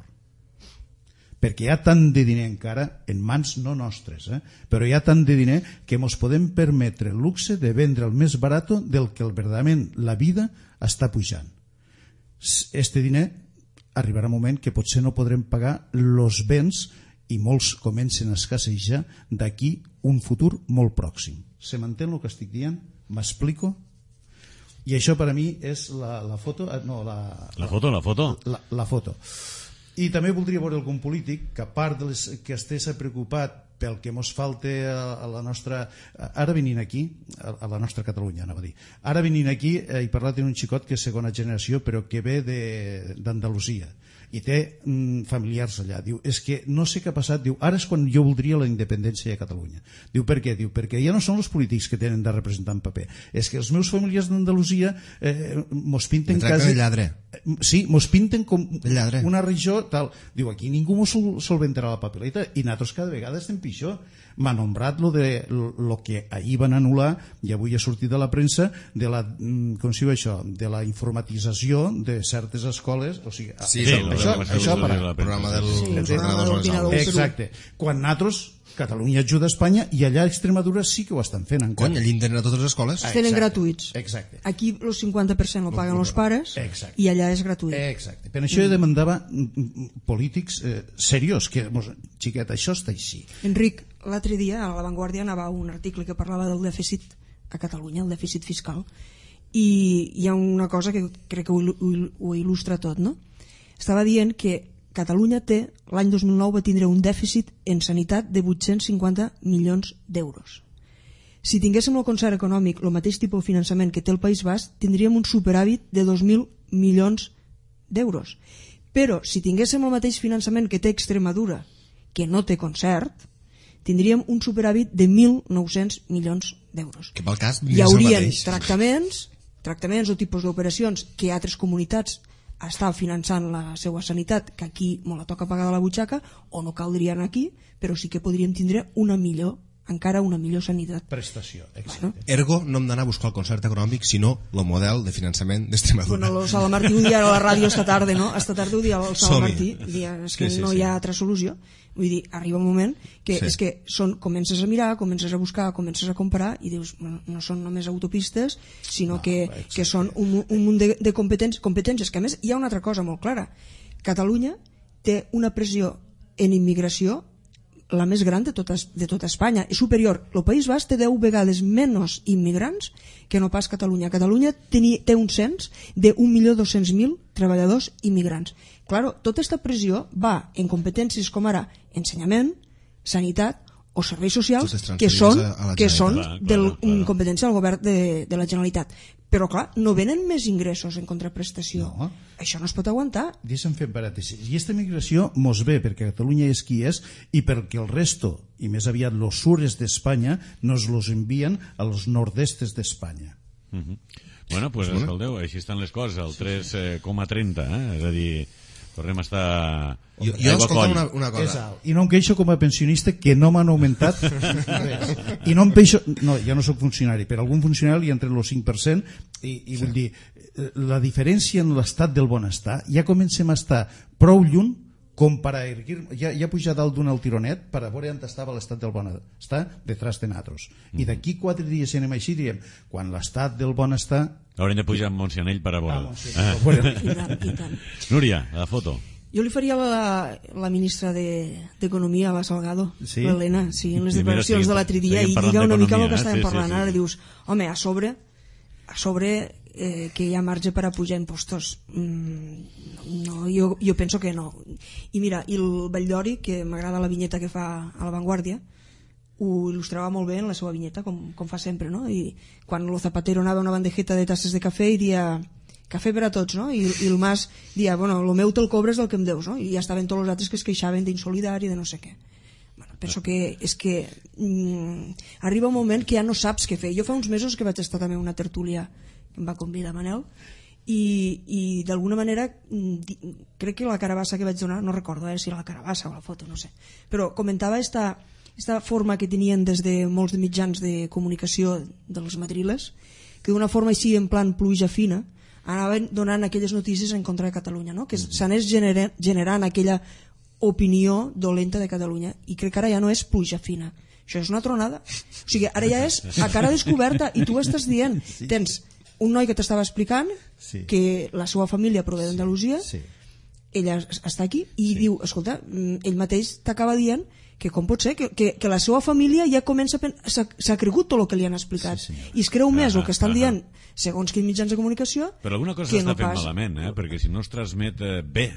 perquè hi ha tant de diner encara en mans no nostres, eh? Però hi ha tant de diner que ens podem permetre el luxe de vendre el més barat del que verdaderament la vida està pujant. Este diner arribarà un moment que potser no podrem pagar els béns i molts comencen a escassejar d'aquí un futur molt pròxim. Se m'entén el que estic dient? M'explico? I això per a mi és la, la foto... No, la, la foto, la foto. La, la foto. I també voldria veure algun polític que a part de les, que estés preocupat pel que mos falta a, a la nostra... Ara venint aquí, a, a la nostra Catalunya, anava a dir. Ara venint aquí eh, he parlat d'un xicot que és segona generació però que ve d'Andalusia i té mm, familiars allà. Diu, és que no sé què ha passat, diu, ara és quan jo voldria la independència de Catalunya. Diu, per què? Diu, perquè ja no són els polítics que tenen de representar en paper, és que els meus familiars d'Andalusia eh, mos pinten me tracten quasi... de lladre. Sí, mos pinten com Lladre. una regió tal. Diu, aquí ningú mos sol solventarà la papeleta i nosaltres cada vegada estem pitjor. M'ha nombrat lo de lo que ahir van anul·lar i avui ha sortit a la premsa de la, com si diu això, de la informatització de certes escoles, o sigui, Sí, això, sí, això, el això per el programa del, Sí, dels el programa ordenadors de a les aules. exacte. Quan nosaltres, Catalunya ajuda a Espanya i allà a Extremadura sí que ho estan fent encara. Cony, l'internet a totes les escoles? Es tenen Exacte, gratuïts. exacte. Aquí el cinquanta per cent lo paguen els pares Exacte. i allà és gratuït. Exacte. Per això jo demandava mm, polítics eh, seriós, que, mos, xiquet, això està així. Enric, l'altre dia a La Vanguardia anava un article que parlava del dèficit a Catalunya, el dèficit fiscal, i hi ha una cosa que crec que ho, ho, ho il·lustra tot, no? Estava dient que Catalunya té, l'any dos mil nou va tindre un dèficit en sanitat de vuit-cents cinquanta milions d'euros. Si tinguéssim el concert econòmic, el mateix tipus de finançament que té el País Basc, tindríem un superàvit de dos mil milions d'euros. Però si tinguéssim el mateix finançament que té Extremadura, que no té concert, tindríem un superàvit de mil nou-cents milions d'euros. Que pel cas Hi és el haurien mateix. tractaments, tractaments o tipus d'operacions que altres comunitats estan finançant la seva sanitat, que aquí me la toca pagar de la butxaca, o no caldrien aquí, però sí que podríem tindre una millor, encara una millor sanitat. Prestació, exacte. Bueno, Ergo, no hem d'anar a buscar el concert econòmic, sinó el model de finançament d'Extremadura. Bueno, el Salamartí ho dia a la ràdio esta tarda, no? Esta tarda ho dia el Salamartí, Som-hi. dia, és que Sí, sí, no sí. hi ha altra solució. Vull dir, arriba un moment que Sí. és que són, comences a mirar, comences a buscar, comences a comparar i dius, no, no són només autopistes, sinó No, que, exacte. que són un, mu- un munt de, de competències, competències, que a més hi ha una altra cosa molt clara. Catalunya té una pressió en immigració la més gran de tota, de tota Espanya. És superior. El País Basc té deu vegades menys immigrants que no pas Catalunya. Catalunya teni, té un cens de un milió dos-cents mil treballadors immigrants. Claro, tota aquesta pressió va en competències com ara ensenyament, sanitat o serveis socials, Totes que transferides són, a- a la que són Generalitat. de Claro, claro. competència del govern de, de la Generalitat. Però clar, no venen més ingressos en contraprestació. No. Això no es pot aguantar. Deixa'm fer parèntesis. I aquesta migració mos ve perquè Catalunya és qui és i perquè el resto, i més aviat los sures d'Espanya, nos los envien als nord-estes d'Espanya. Mhm. Bueno, pues escolteu, així estan les coses, el tres coma trenta, eh? És a dir, tornem a estar... Jo, jo aigua escolta coll. una, una És cosa. alt. I no em queixo com a pensionista que no m'han augmentat res. I no em queixo... No, ja no sóc funcionari, però algun funcionari li entre el cinc per cent i, i vull dir, eh, la diferència en l'estat del benestar ja comencem a estar prou lluny com per a erguir, ja, ja pujar dalt d'un altironet per a veure on estava l'estat del benestar detrás de nosaltres. I d'aquí quatre dies si anem així diríem, quan l'estat del benestar... Haurem de pujar amb Montsianell per a Ah, veure. sí, Ah. bueno, I tant, i tant. Núria, la foto. Jo li faria a la, la ministra d'Economia, de, la Salgado, Sí? l'Helena, sí, en les Sí, mira, declaracions seguim- de l'altre dia, seguim i parlant lliga una mica amb el que d'economia, estàvem eh? Sí, parlant. sí, sí. Ara dius, home, a sobre, a sobre eh, que hi ha marge per a pujar impostos. Mm, no, jo, jo penso que no. I mira, i el Valldori, que m'agrada la vinyeta que fa a La Vanguardia, ho il·lustrava molt bé en la seva vinyeta, com, com fa sempre, no? I quan el Zapatero anava a una bandejeta de tasses de cafè i dia cafè per a tots, no? I, i el Mas dia, bueno, el meu te'l cobres del que em deus, no? I ja estaven tots els altres que es queixaven d'insolidari, de no sé què. Bueno, penso que és que mm, arriba un moment que ja no saps què fer. Jo fa uns mesos que vaig estar també a una tertúlia que em va convidar Manel, i, i d'alguna manera mm, di, crec que la carabassa que vaig donar, no recordo eh, si era la carabassa o la foto, no sé, però comentava esta, esta forma que tenien des de molts de mitjans de comunicació dels madriles, que d'una forma així en plan pluja fina anaven donant aquelles notícies en contra de Catalunya, no? Que s'anés generant, generant aquella opinió dolenta de Catalunya, i crec que ara ja no és pluja fina, això és una tronada. O sigui, ara ja és a cara descoberta, i tu estàs dient, tens un noi que t'estava explicant Sí. que la seva família prové d'Andalusia, Sí. ella està aquí i sí. diu, escolta, ell mateix t'acaba dient que com pot ser que, que, que la seva família ja comença a pen... s'ha cregut tot el que li han explicat, Sí, senyor. i es creu més Ah, el que estan ah, dient segons quins mitjans de comunicació, Però alguna cosa que s'està no fent pas... malament, eh? Perquè si no es transmet eh, bé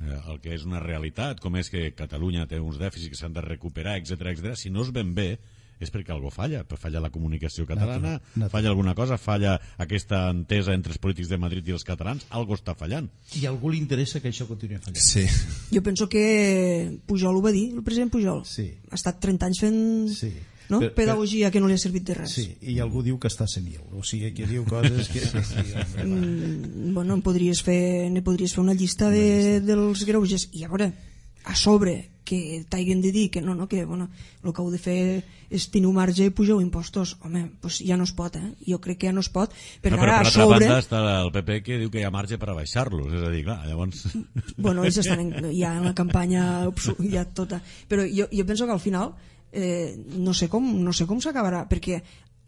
eh, el que és una realitat, com és que Catalunya té uns dèficits que s'han de recuperar, etcètera, etcètera, si no es ven bé és perquè algo falla, falla la comunicació catalana, Natural, natural. falla alguna cosa, falla aquesta entesa entre els polítics de Madrid i els catalans, algo està fallant. I a algú li interessa que això continuï fallant. Sí. Jo penso que Pujol ho va dir, el president Pujol Sí. ha estat trenta anys fent Sí. no? Pedagogia que no li ha servit de res. Sí, i algú diu que està senil, o sigui, que diu coses que... que sí, mm, bueno, en podries fer, ne podries fer una llista de, dels greuges, i a veure, a sobre que t'haguen de dir que no, no, que bueno, el que heu de fer és tenir un marge i pugeu impostos, home, pues ja no es pot, eh? Jo crec que ja no es pot, perquè no, però ara per a sobre... banda està el P P que diu que hi ha marge per a baixar-los, és a dir, clar, llavors... Bueno, ells estan en, ja en la campanya ja tota, però jo, jo penso que al final eh, no sé com, no sé com s'acabarà, perquè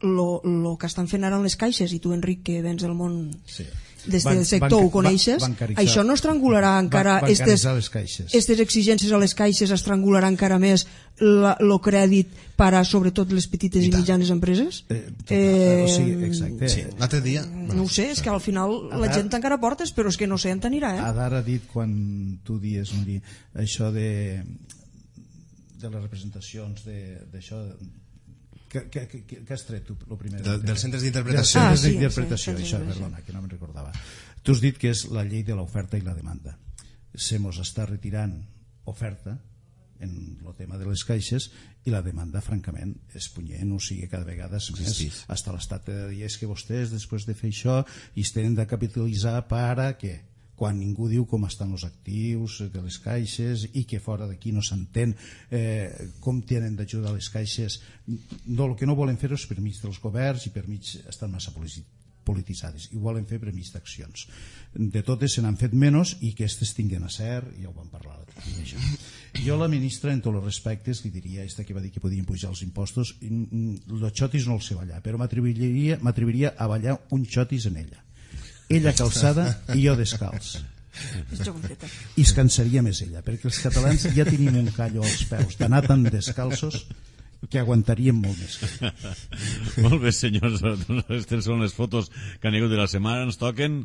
lo, lo que estan fent ara en les caixes, i tu, Enric, que vens del món... Sí. Des del sector ho coneixes, això no estrangularà encara estes, estes exigències a les caixes, estrangularà encara més el crèdit per a sobretot les petites i, i mitjanes empreses? Eh, eh, o sigui, exacte. Sí, l'altre dia... No ho sé, és que al final Adar, la gent tancarà portes, però és que no sé on anirà. Eh? Adar ha dit, quan tu dies, Nuri, això de, de les representacions d'això... Què has tret tu, el primer? De, dels centres d'interpretació. Ah, sí, d'interpretació, sí, això, perdona, que no me'n recordava. Tu has dit que és la llei de l'oferta i la demanda. Se mos està retirant oferta en el tema de les caixes i la demanda, francament, és punyent, o sigui, cada vegada és més. Sí, sí. Hasta l'estat de dir, és que vostès, després de fer això, i es tenen de capitalitzar per a què? Quan ningú diu com estan els actius de les caixes i que fora d'aquí no s'entén eh, com tenen d'ajudar les caixes. No, el que no volen fer és per mig dels governs i per mig estan massa polititzades, i volen fer per mig d'accions. De totes se n'han fet menys i que aquestes tinguen a cert, ja ho vam parlar això. Jo la ministra, en tots els respectes, li diria, esta que va dir que podien pujar els impostos, els xotis no els sé ballar, però m'atreviria a ballar un xotis en ella. Ella calçada i jo descalç. I es cansaria més ella, perquè els catalans ja tenim un callo als peus d'anar tan descalços que aguantaríem molt més. Molt bé, senyors, aquestes són les fotos que han hagut de la setmana. Ens toquen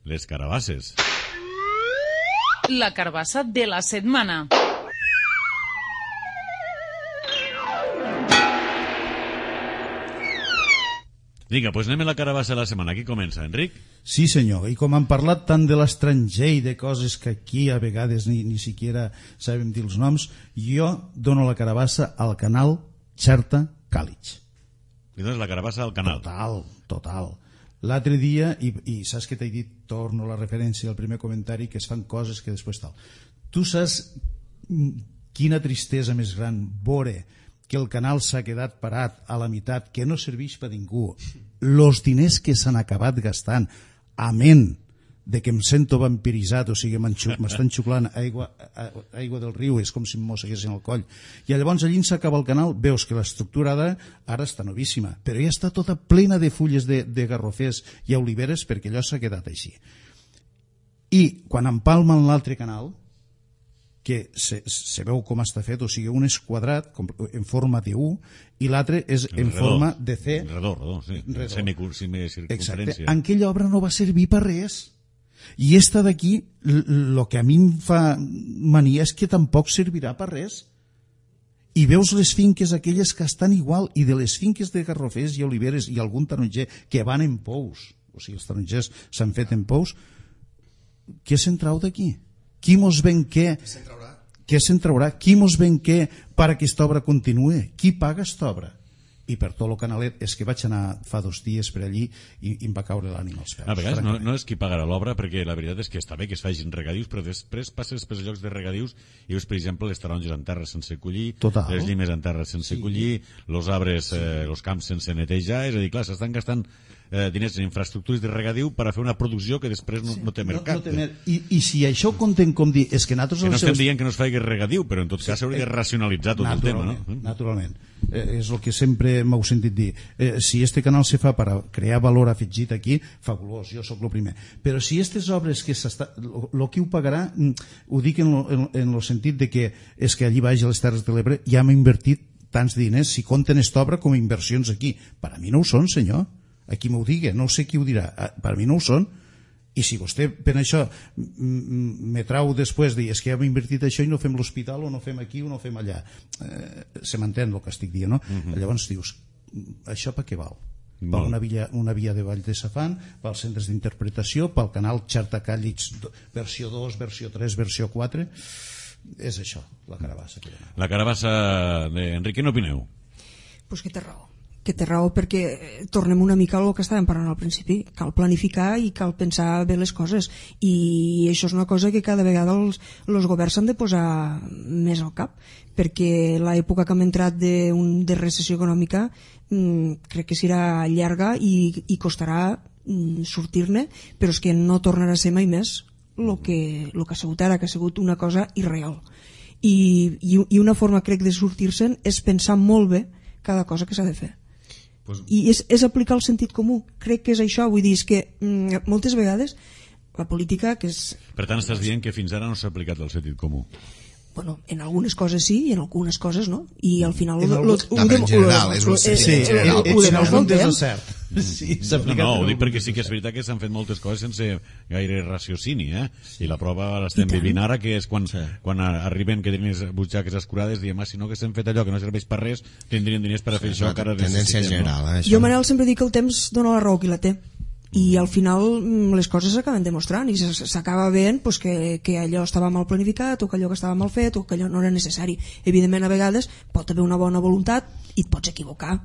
les carabasses. La carabassa de la setmana. Vinga, doncs anem a la carabassa de la setmana. Aquí comença, Enric. Sí, senyor, i com han parlat tant de l'estranger i de coses que aquí a vegades ni, ni siquiera sabem dir els noms, jo dono la carabassa al canal Xerta Càlig. I dones la carabassa al canal. Total, total. L'altre dia, i, i saps que t'he dit, torno a la referència al primer comentari, que es fan coses que després tal. Tu saps quina tristesa més gran veure que el canal s'ha quedat parat a la meitat, que no serveix per ningú, els diners que s'han acabat gastant, amén de que em sento vampiritzat, o sigui, m'estan xuclant aigua, aigua del riu, és com si em mosseguessin el coll. I llavors allí s'acaba el canal, veus que l'estructura ara, ara està novíssima, però ja està tota plena de fulles de, de garrofers i oliveres, perquè allò s'ha quedat així. I quan empalmen l'altre canal, que se, se veu com està fet, o sigui, un és quadrat com, en forma de U i l'altre és en redor, forma de C. Redor, redor, sí. Redor. Semicircunferència. En aquella obra no va servir per res. I esta d'aquí, el que a mi em fa mania és que tampoc servirà per res. I veus les finques aquelles que estan igual, i de les finques de garrofers i oliveres i algun taronger que van en pous, o sigui, els tarongers s'han fet en pous, què se'n trau d'aquí? Qui mos ven què? Què se'n traurà? Qui mos ven què per a aquesta obra continue? Qui paga aquesta obra? I per tot el canalet, és que vaig anar fa dos dies per allí i, i em va caure l'ànima als peus. A vegades no, no és qui pagarà l'obra, perquè la veritat és que està bé que es facin regadius, però després passes pels llocs de regadius i veus, per exemple, les taronges en terra sense collir, Total. Les llimes en terra sense sí. collir, els arbres, sí. eh, els camps sense netejar, és a dir, clar, s'estan gastant eh, diners en infraestructures de regadiu per a fer una producció que després no, no té mercat. No, no té mer... I, I si això ho contem com dir, és que nosaltres... Que no estem seus... dient que no es faci regadiu, però en tot cas s'hauria sí, de racionalitzar tot el tema, no? Naturalment. Eh, és el que sempre m'heu sentit dir. Eh, si este canal se fa per a crear valor afegit aquí, fabulós, jo sóc el primer. Però si aquestes obres que s'està... El que ho pagarà, ho dic en el sentit de que és que allí baix a les Terres de l'Ebre ja hem invertit tants diners, si compten esta obra com a inversions aquí. Per a mi no ho són, senyor. Aquí m'ho digui, no sé qui ho dirà. Per a mi no ho són. I si vostè per això me trau després dir és que hem invertit això i no fem l'hospital o no fem aquí o no fem allà, eh, se m'entén el que estic dient, no? Uh-huh. Llavors dius, això per què val? Per una via, una via de Vall de Safant, pels centres d'interpretació, pel canal Xerta Càlig versió dos, versió tres, versió quatre, és això, la carabassa. La carabassa d'Enric, què n'opineu? pues que té raó. que té raó perquè tornem una mica al que estàvem parlant al principi, cal planificar i cal pensar bé les coses, i això és una cosa que cada vegada els, els governs s'han de posar més al cap, perquè l'època que hem entrat de, un, de recessió econòmica mmm, crec que serà llarga i, i costarà mmm, sortir-ne, però és que no tornarà a ser mai més el que, lo que ha sigut ara, que ha sigut una cosa irreal, i, i, i una forma crec de sortir-se'n és pensar molt bé cada cosa que s'ha de fer. Pues... i és, és aplicar el sentit comú, crec que és això, vull dir, és que mm, moltes vegades la política que és... Per tant estàs dient que fins ara no s'ha aplicat el sentit comú? Bueno, en algunes coses sí i en algunes coses no, i al final en, algun... no, en general és un sentit sí, general, en alguns és cert. Sí, no, no, ho dic perquè sí que és veritat que s'han fet moltes coses sense gaire raciocini, eh? Sí. I la prova l'estem vivint ara, que és quan, sí. quan arriben que tenen les butxaques escurades, diem, ah, si no que s'han fet allò que no serveix per res, tindrien diners per a fer sí, això, que ara tendència general, no? eh, jo Manel sempre dic que el temps dona la raó qui la té, i al final les coses s'acaben demostrant i s'acaba veient pues, que, que allò estava mal planificat o que allò que estava mal fet o que allò no era necessari. Evidentment a vegades pot haver una bona voluntat i et pots equivocar,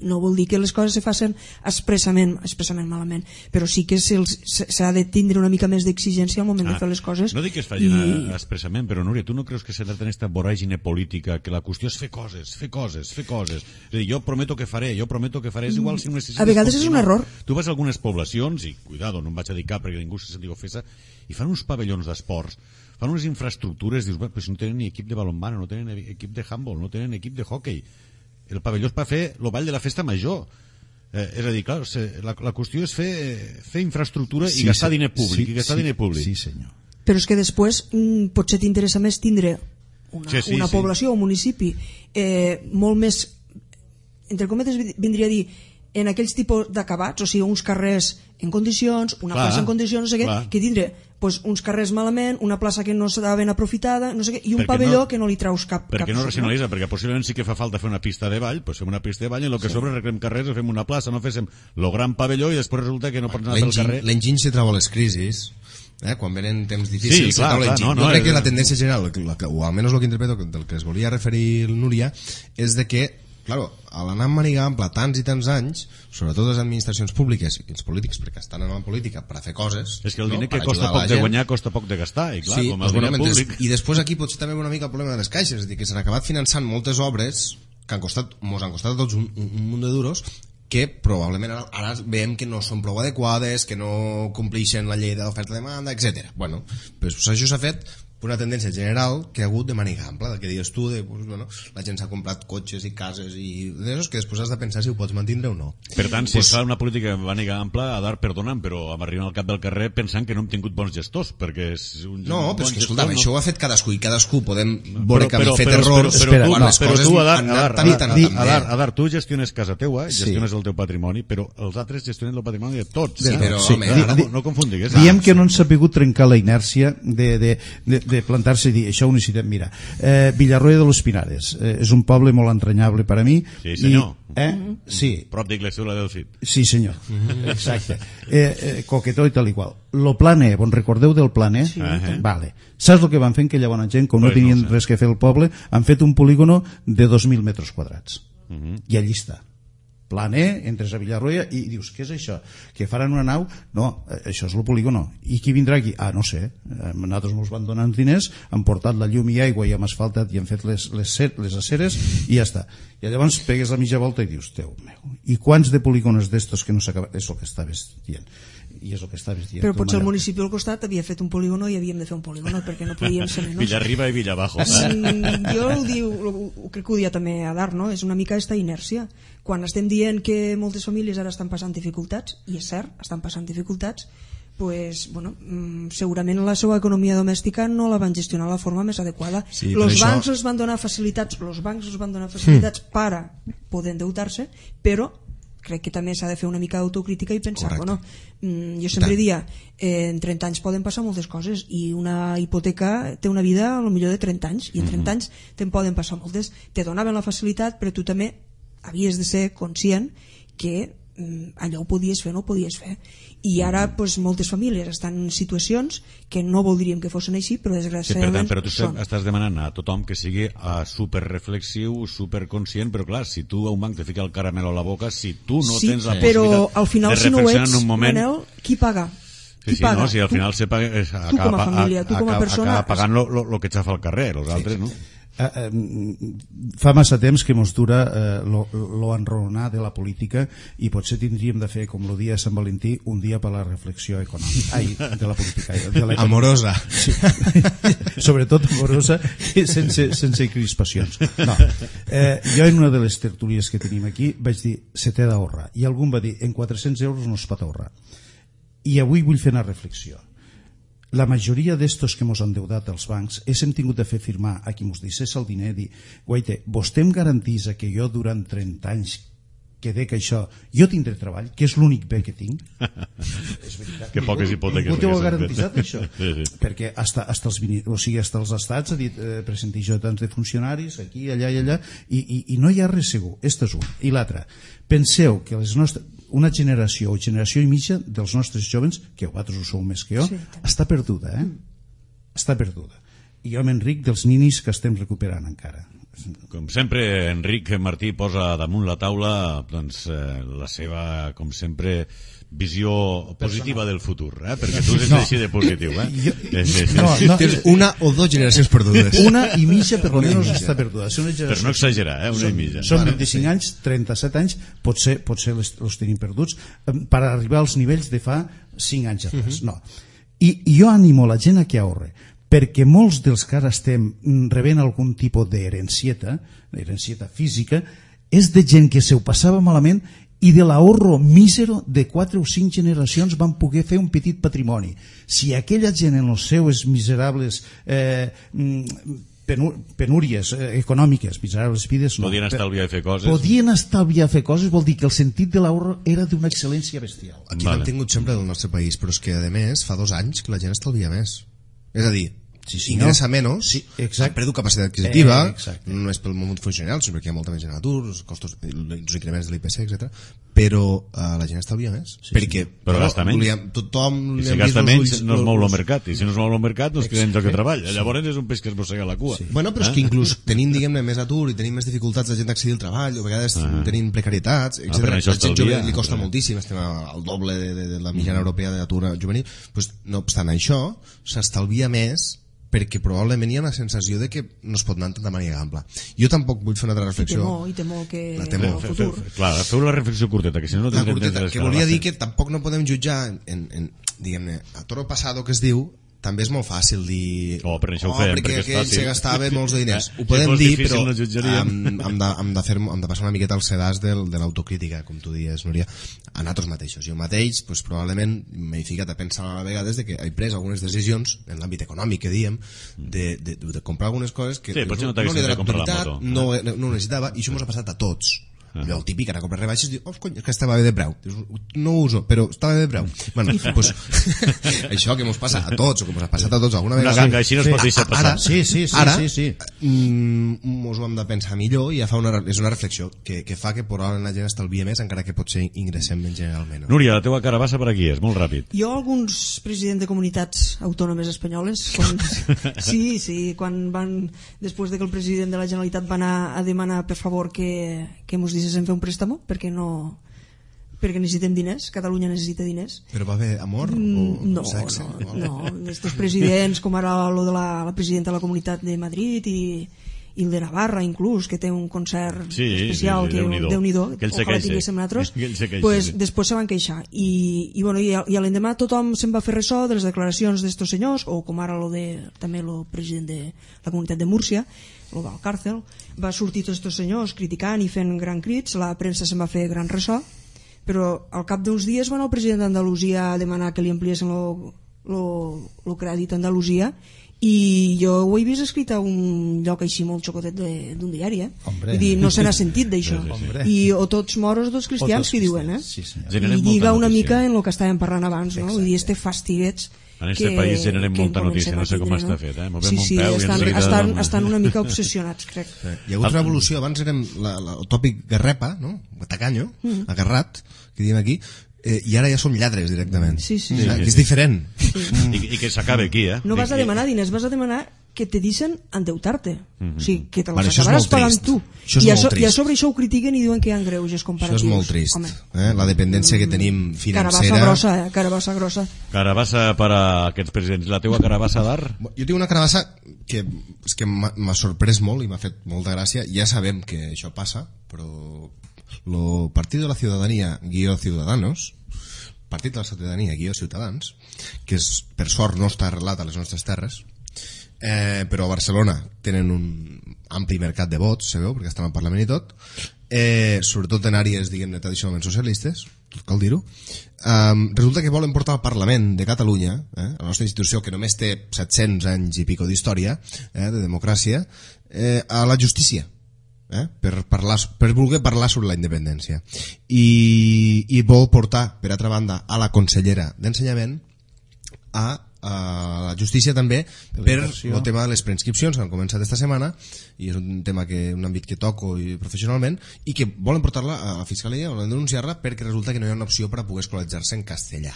no vol dir que les coses se facin expressament, expressament malament, però sí que s'ha de tindre una mica més d'exigència al moment ah, de fer les coses. No dic que es facin i... expressament, però Núria, tu no creus que s'ha de tenir aquesta voràgine política, que la qüestió és fer coses, fer coses, fer coses, és a dir, jo prometo que faré, jo prometo que faré, és igual si no necessites... A vegades és un error. Tu vas a algunes poblacions i, cuidado, no em vaig a dir cap perquè ningú se senti ofesa, i fan uns pavellons d'esports, fan unes infraestructures, dius, però si no tenen ni equip de balonmano, no tenen equip de handball, no tenen equip de hockey, el pavelló és per fer el ball de la festa major, eh, és a dir, clar, la, la qüestió és fer, fer infraestructura sí, i gastar sí, diner públic, sí, i gastar sí, diner públic. Sí, senyor. Però és que després mm, potser t'interessa més tindre una, sí, sí, una sí. població o un municipi eh, molt més, entre cometes vindria a dir, en aquells tipus d'acabats, o sigui, uns carrers en condicions, una clar, plaça en condicions, no sé què, clar. Que tindre pues, uns carrers malament, una plaça que no s'ha ben aprofitada, no sé què, i un perquè pavelló no, que no li traus cap... Perquè cap no racionalitza, perquè possiblement sí que fa falta fer una pista de ball, doncs fem una pista de ball i en el que sí. sobre arreglem carrers fem una plaça, no féssim el gran pavelló i després resulta que no pots anar pel carrer. L'enginy se troba a les crisis, eh? Quan venen temps difícils, sí, clar, clar, no, no, jo crec és... que la tendència general, o almenys el que interpreto del que es volia referir el Núria, és de que claro, a l'anar amb maniga ampla tants i tants anys, sobretot les administracions públiques i els polítics, perquè estan en la política per a fer coses, és que el diner no? que costa poc de guanyar costa poc de gastar, i clar, sí, com el diner bueno, públic... I després aquí potser també una mica el problema de les caixes, és a dir, que s'han acabat finançant moltes obres que han costat, mos han costat a tots un, un, un munt de duros, que probablement ara, ara veiem que no són prou adequades, que no compleixen la llei de l'oferta-demanda, etcètera. Bueno, pues, pues això s'ha fet una tendència general que ha hagut de maniga ampla, del que dius tu, de, pues, bueno, la gent s'ha comprat cotxes i cases i d'això que després has de pensar si ho pots mantindre o no. Per tant, si pues, es fa una política de maniga ampla, a dar perdonant, però arribant al cap del carrer pensant que no hem tingut bons gestors, perquè és un no, bon però és que, escolta, no... això ho ha fet cadascú i cadascú podem veure que han fet però, errors però, però, quan les les coses tu, Adar, han anat Adar, tan Adar, i tan Adar, Adar, tu gestiones casa teua, gestiones sí. el teu patrimoni, però els altres gestionen el patrimoni de tots. Sí, eh? però, sí. home, no, no, no confundigues. Diem que no han sabut trencar la inèrcia de, de, de, de plantar-se i dir això ho necessitem. Mira, eh, Villarroya de los Pinares eh, és un poble molt entranyable per a mi. Sí, senyor. I, eh? Sí. Prop d'Iglesia del Cid. Sí, senyor. Exacte. Eh, eh, coquetó i tal i qual. Lo Plan E, bon recordeu del Plan E? Sí. Uh-huh. Vale. Saps el que van fer aquella bona gent, com no pues tenien no sé. res que fer el poble, han fet un polígono de dos mil metres quadrats. Uh-huh. I allí està. Plan E, entres a Villarroya i dius, què és això? Que faran una nau? No, això és el polígono. I qui vindrà aquí? Ah, no sé. Nosaltres ens van donant diners, han portat la llum i aigua i hem asfaltat i han fet les, les, les aceres i ja està. I llavors pegues la mitja volta i dius, Déu meu, i quants de polígonos d'estos que no s'acaben? És el que estaves dient. I és el que estaves dient. Però potser el municipi al costat havia fet un polígono i havíem de fer un polígono perquè no podíem ser menys. Villarriba i Villabajo. Mm, jo ho, diu, ho crec que ho dia també a Dar, no? És una mica esta inèrcia. Quan estem dient que moltes famílies ara estan passant dificultats, i és cert, estan passant dificultats, pues, bueno, segurament la seva economia domèstica no la van gestionar de la forma més adequada. Sí, los això... bancs els van donar facilitats, los bancs els van donar facilitats mm. per a poder endeutar-se, però crec que també s'ha de fer una mica d'autocrítica i pensar, bueno, jo sempre dia eh, en trenta anys poden passar moltes coses i una hipoteca té una vida a lo millor de trenta anys i en trenta anys te'n poden passar moltes, te donaven la facilitat però tu també havies de ser conscient que allò ho podies fer o no ho podies fer, i ara pues, moltes famílies estan en situacions que no voldríem que fossin així, però desgraciadament sí, per tant, però tu són. Estàs demanant a tothom que sigui uh, superreflexiu, superconscient, però clar, si tu a un banc te fica el caramel a la boca, si tu no sí, tens la però possibilitat al final, de si no ho reflexionar ets, en un moment... Manel, qui paga? Sí, Qui sí, paga? no, si al tu, final se paga, eh, acaba, tu com a família, tu com a acaba, persona... acaba pagant el que xafa al carrer, els altres, no? Uh, uh, fa massa temps que mos dura uh, lo, lo enraonar de la política i potser tindríem de fer, com el dia de Sant Valentí, un dia per la reflexió econòmica. Ai, de la política. De la amorosa. Sí. Sobretot amorosa i sense, sense crispacions. No. Eh, jo en una de les tertúlies que tenim aquí vaig dir, se t'ha d'ahorrar. I algú em va dir, en quatre-cents euros no es pot ahorrar. I avui vull fer una reflexió. La majoria d'estos que mos han endeutat els bancs és hem tingut de fer firmar a qui mos deixés el diner, dir, guaita, vostè em garantís que jo durant trenta anys que dec això, jo tindré treball, que és l'únic bé que tinc. És veritat. Que poques hipoteques. Ningú t'ho ha garantitzat, això. Sí, sí. Perquè hasta, hasta, els, o sigui, hasta els estats ha dit eh, presenti jo tants de funcionaris aquí, allà i allà, i, i, i no hi ha res segur. Este és un. I l'altre, penseu que les nostres una generació o generació i mitja dels nostres jóvens, que vosaltres ho sou més que jo, sí, està perduda, eh? Està perduda. I jo m'enric dels ninis que estem recuperant encara. Com sempre, Enric Martí posa damunt la taula doncs, eh, la seva, com sempre, visió positiva del futur, eh? Perquè tu ets no. així de positiu, eh? Jo, sí, sí. No, no, tens una o dos generacions perdudes. Una i mitja per almenys està perduda. Per no exagerar, eh? Una són, i mitja. Són vint-i-cinc anys, trenta-set anys, potser, potser els, els tenim perduts, per arribar als nivells de fa cinc anys atrás. No. I, I jo animo la gent a que ahorre, perquè molts dels que ara estem rebent algun tipus d'herencieta, d'herencieta física, és de gent que se ho passava malament i de l'ahorro mísero de quatre o cinc generacions van poder fer un petit patrimoni. Si aquella gent en els seus miserables eh, penúries eh, econòmiques, miserables vides, no, podien estalviar a fer coses. Podien estalviar a fer coses, vol dir que el sentit de l'ahorro era d'una excel·lència bestial. Aquí vale. L'hem tingut sempre del nostre país, però és que a més fa dos anys que la gent estalvia més. És a dir, sí, sí, ingressa no? menys, sí, ha perdut capacitat adquisitiva, eh, no és pel món funcional, sinó perquè hi ha molta més gent a l'atur, els costos, els increments de l'I P C, etcètera. Però uh, la gent estalvia més. Sí, perquè sí. Però gasta menys. Volíem, tothom I si gasta menys ulls, no es mou el mercat, i si no es mou el mercat no es queda en lloc de treball. Sí. Llavors és un peix que es mossega la cua. Sí. Bueno, però és eh? que inclús tenim, diguem-ne, més atur i tenim més dificultats de gent d'accedir al treball, o a vegades uh -huh. tenim precarietats, etcètera. Ah, la gent jove li costa uh -huh. moltíssim, estem al doble de, de, de la mitjana uh -huh. europea d'atur juvenil. Pues, no obstant això, s'estalvia més perquè probablement hi ha una sensació de que no es pot anar de manera ampla. Jo tampoc vull fer una altra reflexió. I temor, i temor que la temor. el futur. Clar, feu la reflexió curteta, que si no no tindrem temps d'escalar. Que volia dir que tampoc no podem jutjar en, en, en diguem-ne, a toro passado que es diu, també és molt fàcil dir oh, per això oh, ho fem, perquè, perquè aquell se gastava molts de diners. Eh, ho podem dir, però no hem, hem, de, hem, de fer, hem de passar una miqueta al sedàs del, de l'autocrítica, com tu dies, Núria, a nosaltres mateixos. Jo mateix, pues, probablement m'he ficat a pensar a vegades de que he pres algunes decisions en l'àmbit econòmic, que diem, de, de, de comprar algunes coses que sí, no, no, no li he donat no, no ho necessitava, i això ens ha passat a tots. Allò, el típic, ara compres rebaixes i dius, oh, cony, que estava bé de preu. Dius, no ho uso, però estava bé de preu. Bueno, pues, això que mos passa a tots, o que mos ha passat a tots alguna vegada. Una ganga així no es pot deixar passar. Ara, sí, sí, sí, ara, sí, sí. Mm, mos ho hem de pensar millor i ja fa una, és una reflexió que, que fa que probablement la gent estalvia més, encara que potser ingressem menys generalment. No? Núria, la teva carabassa per aquí és, molt ràpid. Jo, alguns presidents de comunitats autònomes espanyoles, quan, sí, sí, quan van, després de que el president de la Generalitat va anar a demanar, per favor, que, que mos deixessin fer un préstamo, perquè no perquè necessitem diners, Catalunya necessita diners. Però va haver amor o mm, no, sexe? No, no, estos presidents, com ara lo de la, la presidenta de la Comunitat de Madrid i, i el de Navarra, inclús, que té un concert sí, especial, sí, sí, que Déu-n'hi-do, Déu-n'hi-do, que ojalà tinguéssim nosaltres, queixa, pues, sí. Després se van queixar. I, i, bueno, i, i a l'endemà tothom se'n va fer ressò de les declaracions d'estos senyors, o com ara lo de, també el president de la Comunitat de Múrcia, el Valcárcel, va sortir tots aquests senyors criticant i fent gran crits, la premsa se'n va fer gran ressò, però al cap d'uns dies va anar el president d'Andalusia a demanar que li ampliessin el crèdit a Andalusia i jo ho he vist escrit a un lloc així molt xocotet d'un diari, eh? Vull dir, no se n'ha sentit d'això. Sí, sí, I o tots moros o tots cristians, que diuen, eh? Sí, I lliga una mica en el que estàvem parlant abans, no? Vull dir, este fastiguets en aquest país generem molta notícia, no sé com està fet, eh? Sí, sí, estan, estan, estan una mica obsessionats, crec. Sí. Hi ha hagut una evolució, abans érem la, la, el tòpic garrepa, no? Tacanyo, mm. agarrat, que diem aquí, eh, i ara ja som lladres directament. Sí, sí. sí, sí. Que és diferent. Sí. I, I que s'acabe aquí, eh? No vas a demanar diners, vas a demanar que te deixen endeutar-te. Mm-hmm. O sigui, que te Vale, les això és acabaràs molt pagant trist. tu. Això és I, a molt so, I a trist. sobre això ho critiquen i diuen que hi ha greuges comparatius. Això és molt trist. Eh? La dependència que tenim financera... Carabassa grossa, eh? Carabassa grossa. Carabassa per a aquests presidents. La teua carabassa d'art? Jo tinc una carabassa que, és que m'ha m'ha sorprès molt i m'ha fet molta gràcia. Ja sabem que això passa, però el Partit de la Ciudadanía guió Ciudadanos, Partit de la Ciutadania guió Ciutadans, que és, per sort no està arrelat a les nostres terres, eh, però a Barcelona tenen un ampli mercat de vots, sabeu, perquè estan al Parlament i tot, eh, sobretot en àrees, diguem-ne, tradicionalment socialistes, tot cal dir-ho. Um, resulta que volen portar al Parlament de Catalunya, eh, la nostra institució que només té set-cents anys i pico d'història, eh, de democràcia, eh, a la justícia. Eh? Per, parlar, per voler parlar sobre la independència i, i vol portar, per altra banda, a la consellera d'Ensenyament a, a la justícia també per el tema de les preinscripcions que han començat esta setmana, i és un tema que un àmbit que toco i professionalment, i que volen portar-la a la Fiscalia, volen denunciar-la perquè resulta que no hi ha una opció per a poder escolaritzar-se en castellà,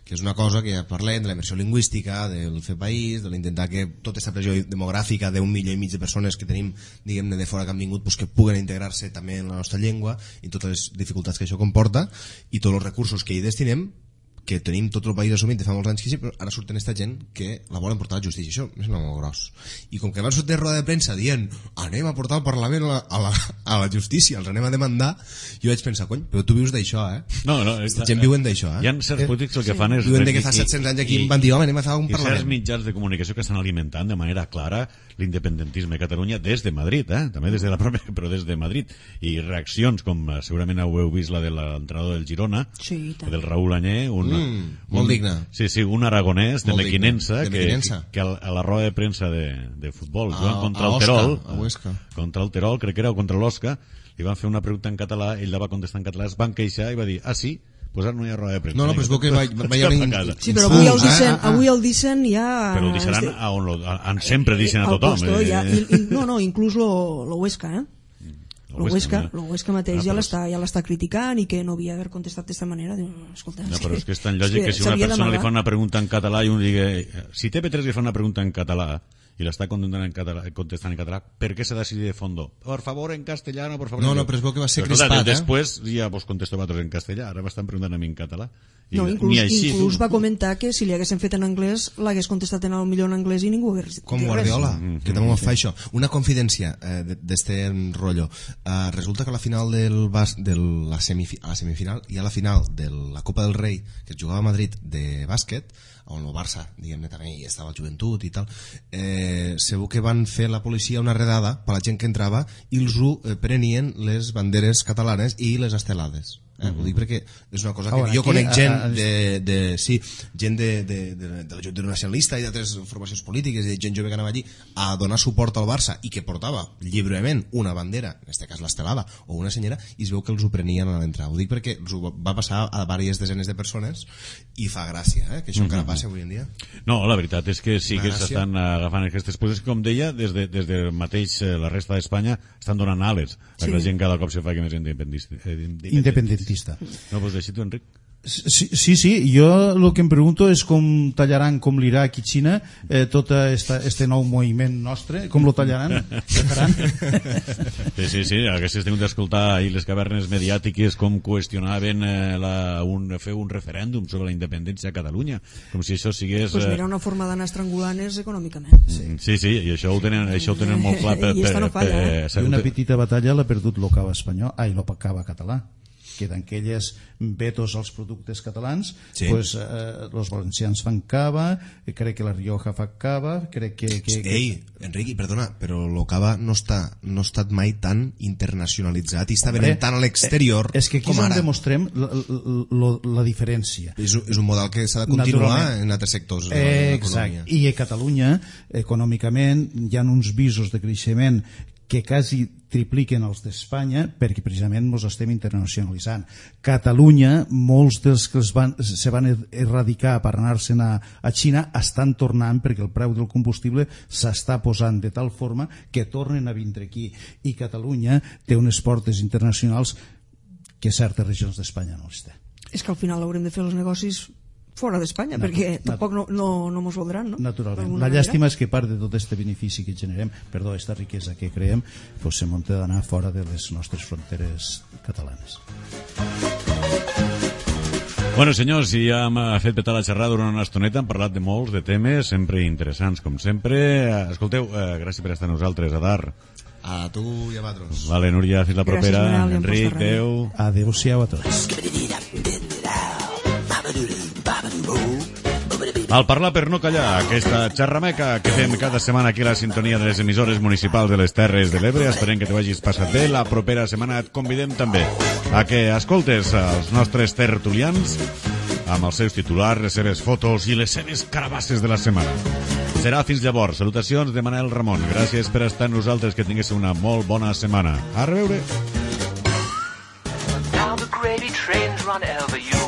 que és una cosa que ja parlem de la immersió lingüística, del fer país, de l'intentar que tota aquesta pressió demogràfica d'un milió i mig de persones que tenim, diguem-ne, de fora que han vingut, pues, que puguen integrar-se també en la nostra llengua i totes les dificultats que això comporta i tots els recursos que hi destinem, que tenim tot el país assumit de fa molts anys que sí, però ara surten aquesta gent que la volen portar a la justícia. Això és molt gros. I com que van sortir a roda de premsa dient anem a portar al Parlament a la, a la, a la justícia, els anem a demandar, jo vaig pensar, cony, però tu vius d'això, eh? No, no. Aquesta gent viuen d'això, eh? Hi ha certs polítics el que fan és... Viuen de que fa set-cents anys aquí van dir, home, anem a fer un Parlament. I certs mitjans de comunicació que estan alimentant de manera clara l'independentisme a Catalunya des de Madrid, eh? També des de la pròpia, però des de Madrid. I reaccions, com segurament ho heu vist, la de l'entrenador del Girona, sí, del Raúl Añé, un, mm, molt un, digne. Sí, sí, un aragonès de Mequinensa, de que, Mequinensa. que a la roda de premsa de, de futbol, Ah, jugant contra a el Osca, Terol, a Huesca. contra el Terol, crec que era, o contra l'Osca, li van fer una pregunta en català, ell la va contestar en català, es van queixar i va dir, ah, sí? Pues ara no hi ha roda de premsa. No, no, però es veu que va, va hi haver... Sí, però avui el dicen, avui el dicen ja... Però ho deixaran a on, lo, a, on sempre dicen a tothom. Puesto, ja, eh? i, i, no, no, inclús lo, lo Huesca, eh? Lo Huesca, no? lo Huesca mateix Ah, ja però- l'està ja l'està criticant i que no havia d'haver contestat d'esta manera. Diu, escolta, No, però és que és tan lògic que si una s'havia persona li d'amagar. fa una pregunta en català i un digui, si T V tres li fa una pregunta en català i l'està contestant en català, contestant en català, ¿per qué se decide de fondo? Por favor en castellano, por favor. No, en- no, però es veu que va ser Però, escolta, crispat, eh? Després ja vos contesto a vosaltres en castellà, ara m'estan preguntant a mi en català. I No, inclús, ni així, inclús tu. va comentar que si li haguessin fet en anglès l'hagués contestat en el millor en anglès i ningú hagués dit Com res. Guardiola, Mm-hmm. que també ho fa això. Una confidència eh, de- d'este rotllo. Eh, resulta que a la final del bas, de la, semifi, a la semifinal i a la final de la Copa del Rei, que es jugava a Madrid de bàsquet, on el Barça, diguem-ne, també hi estava el joventut i tal, eh, segur que van fer la policia una redada per la gent que entrava i els ho eh, prenien les banderes catalanes i les estelades. Eh? Ho dic perquè és una cosa que Ara, jo aquí, conec gent a- a- de, de, sí, gent de, de, de, de la Junta Nacionalista i d'altres formacions polítiques i de gent jove que anava allí a donar suport al Barça i que portava lliurement una bandera, en aquest cas l'estelada o una senyera, i es veu que els ho prenien a l'entrada. Ho dic perquè els ho va passar a diverses desenes de persones i fa gràcia, eh? Que això encara passa avui en dia. No, la veritat és que sí que Gràcia. s'estan agafant aquestes coses, com deia, des de, des de mateix eh, la resta d'Espanya estan donant ales a que Sí. la gent cada cop se fa que més independentista. Eh, Independentista. No, pues així tu, Enric. Sí, sí, sí, jo el que em pregunto és com tallaran, com l'Iraq i Xina, eh, tot esta, este nou moviment nostre, com lo tallaran, què faran? Sí, sí, sí, haguessis tingut d'escoltar ahir les cavernes mediàtiques com qüestionaven eh, la, un, fer un referèndum sobre la independència a Catalunya, com si això sigués... Pues eh, mira, una forma d'anar estrangulant-nos econòmicament. Sí, sí, sí, i això ho tenen, això ho tenen molt clar. Per, I esta no falla, per, eh? I una petita batalla l'ha perdut l'Ocava espanyol, ai, l'Ocava català. queden aquelles vetos als productes catalans, Sí. pues, eh, els valencians fan cava, eh, crec que la Rioja fa cava, crec que... que, que... Ei, Enric, perdona, però el cava no està no ha estat mai tan internacionalitzat i està Hombre, venent tant a l'exterior és que aquí com és on ara. demostrem la, la, la diferència. És, un- és un model que s'ha de continuar Naturalment. en altres sectors de Eh, l'economia. exacte. I a Catalunya, econòmicament, hi ha uns visos de creixement que quasi tripliquen els d'Espanya perquè precisament ens estem internacionalitzant. Catalunya, molts dels que es van, se van erradicar per anar-se'n a, a Xina estan tornant perquè el preu del combustible s'està posant de tal forma que tornen a vindre aquí. I Catalunya té unes portes internacionals que certes regions d'Espanya no les té. És que al final haurem de fer els negocis fora d'Espanya, Natu- perquè natu- tampoc no, no, no mos voldran, no? Naturalment. D'alguna La manera. llàstima és que part de tot aquest benefici que generem, perdó, aquesta riquesa que creem, pues, se munta d'anar fora de les nostres fronteres catalanes. Bueno, senyors, i ja hem fet petar la xerrada durant una estoneta, hem parlat de molts de temes, sempre interessants, com sempre. Escolteu, eh, gràcies per estar amb nosaltres, Adar. A tu i a vosaltres. Vale, Núria, fins la Gràcies, propera. Manel, i a Enric, Posta Ràdio. adeu. Adéu-siau a tots. Al parlar per no callar, aquesta xerrameca que fem cada setmana aquí a la sintonia de les emissores municipals de les Terres de l'Ebre. Esperem que te vagis passat bé. La propera setmana et convidem també a que escoltes els nostres tertulians amb els seus titulars, les seves fotos i les seves carabasses de la setmana. Serà fins llavors. Salutacions de Manel Ramon. Gràcies per estar amb nosaltres, que tinguéssiu una molt bona setmana. A reveure. Now the gravy trains run over you.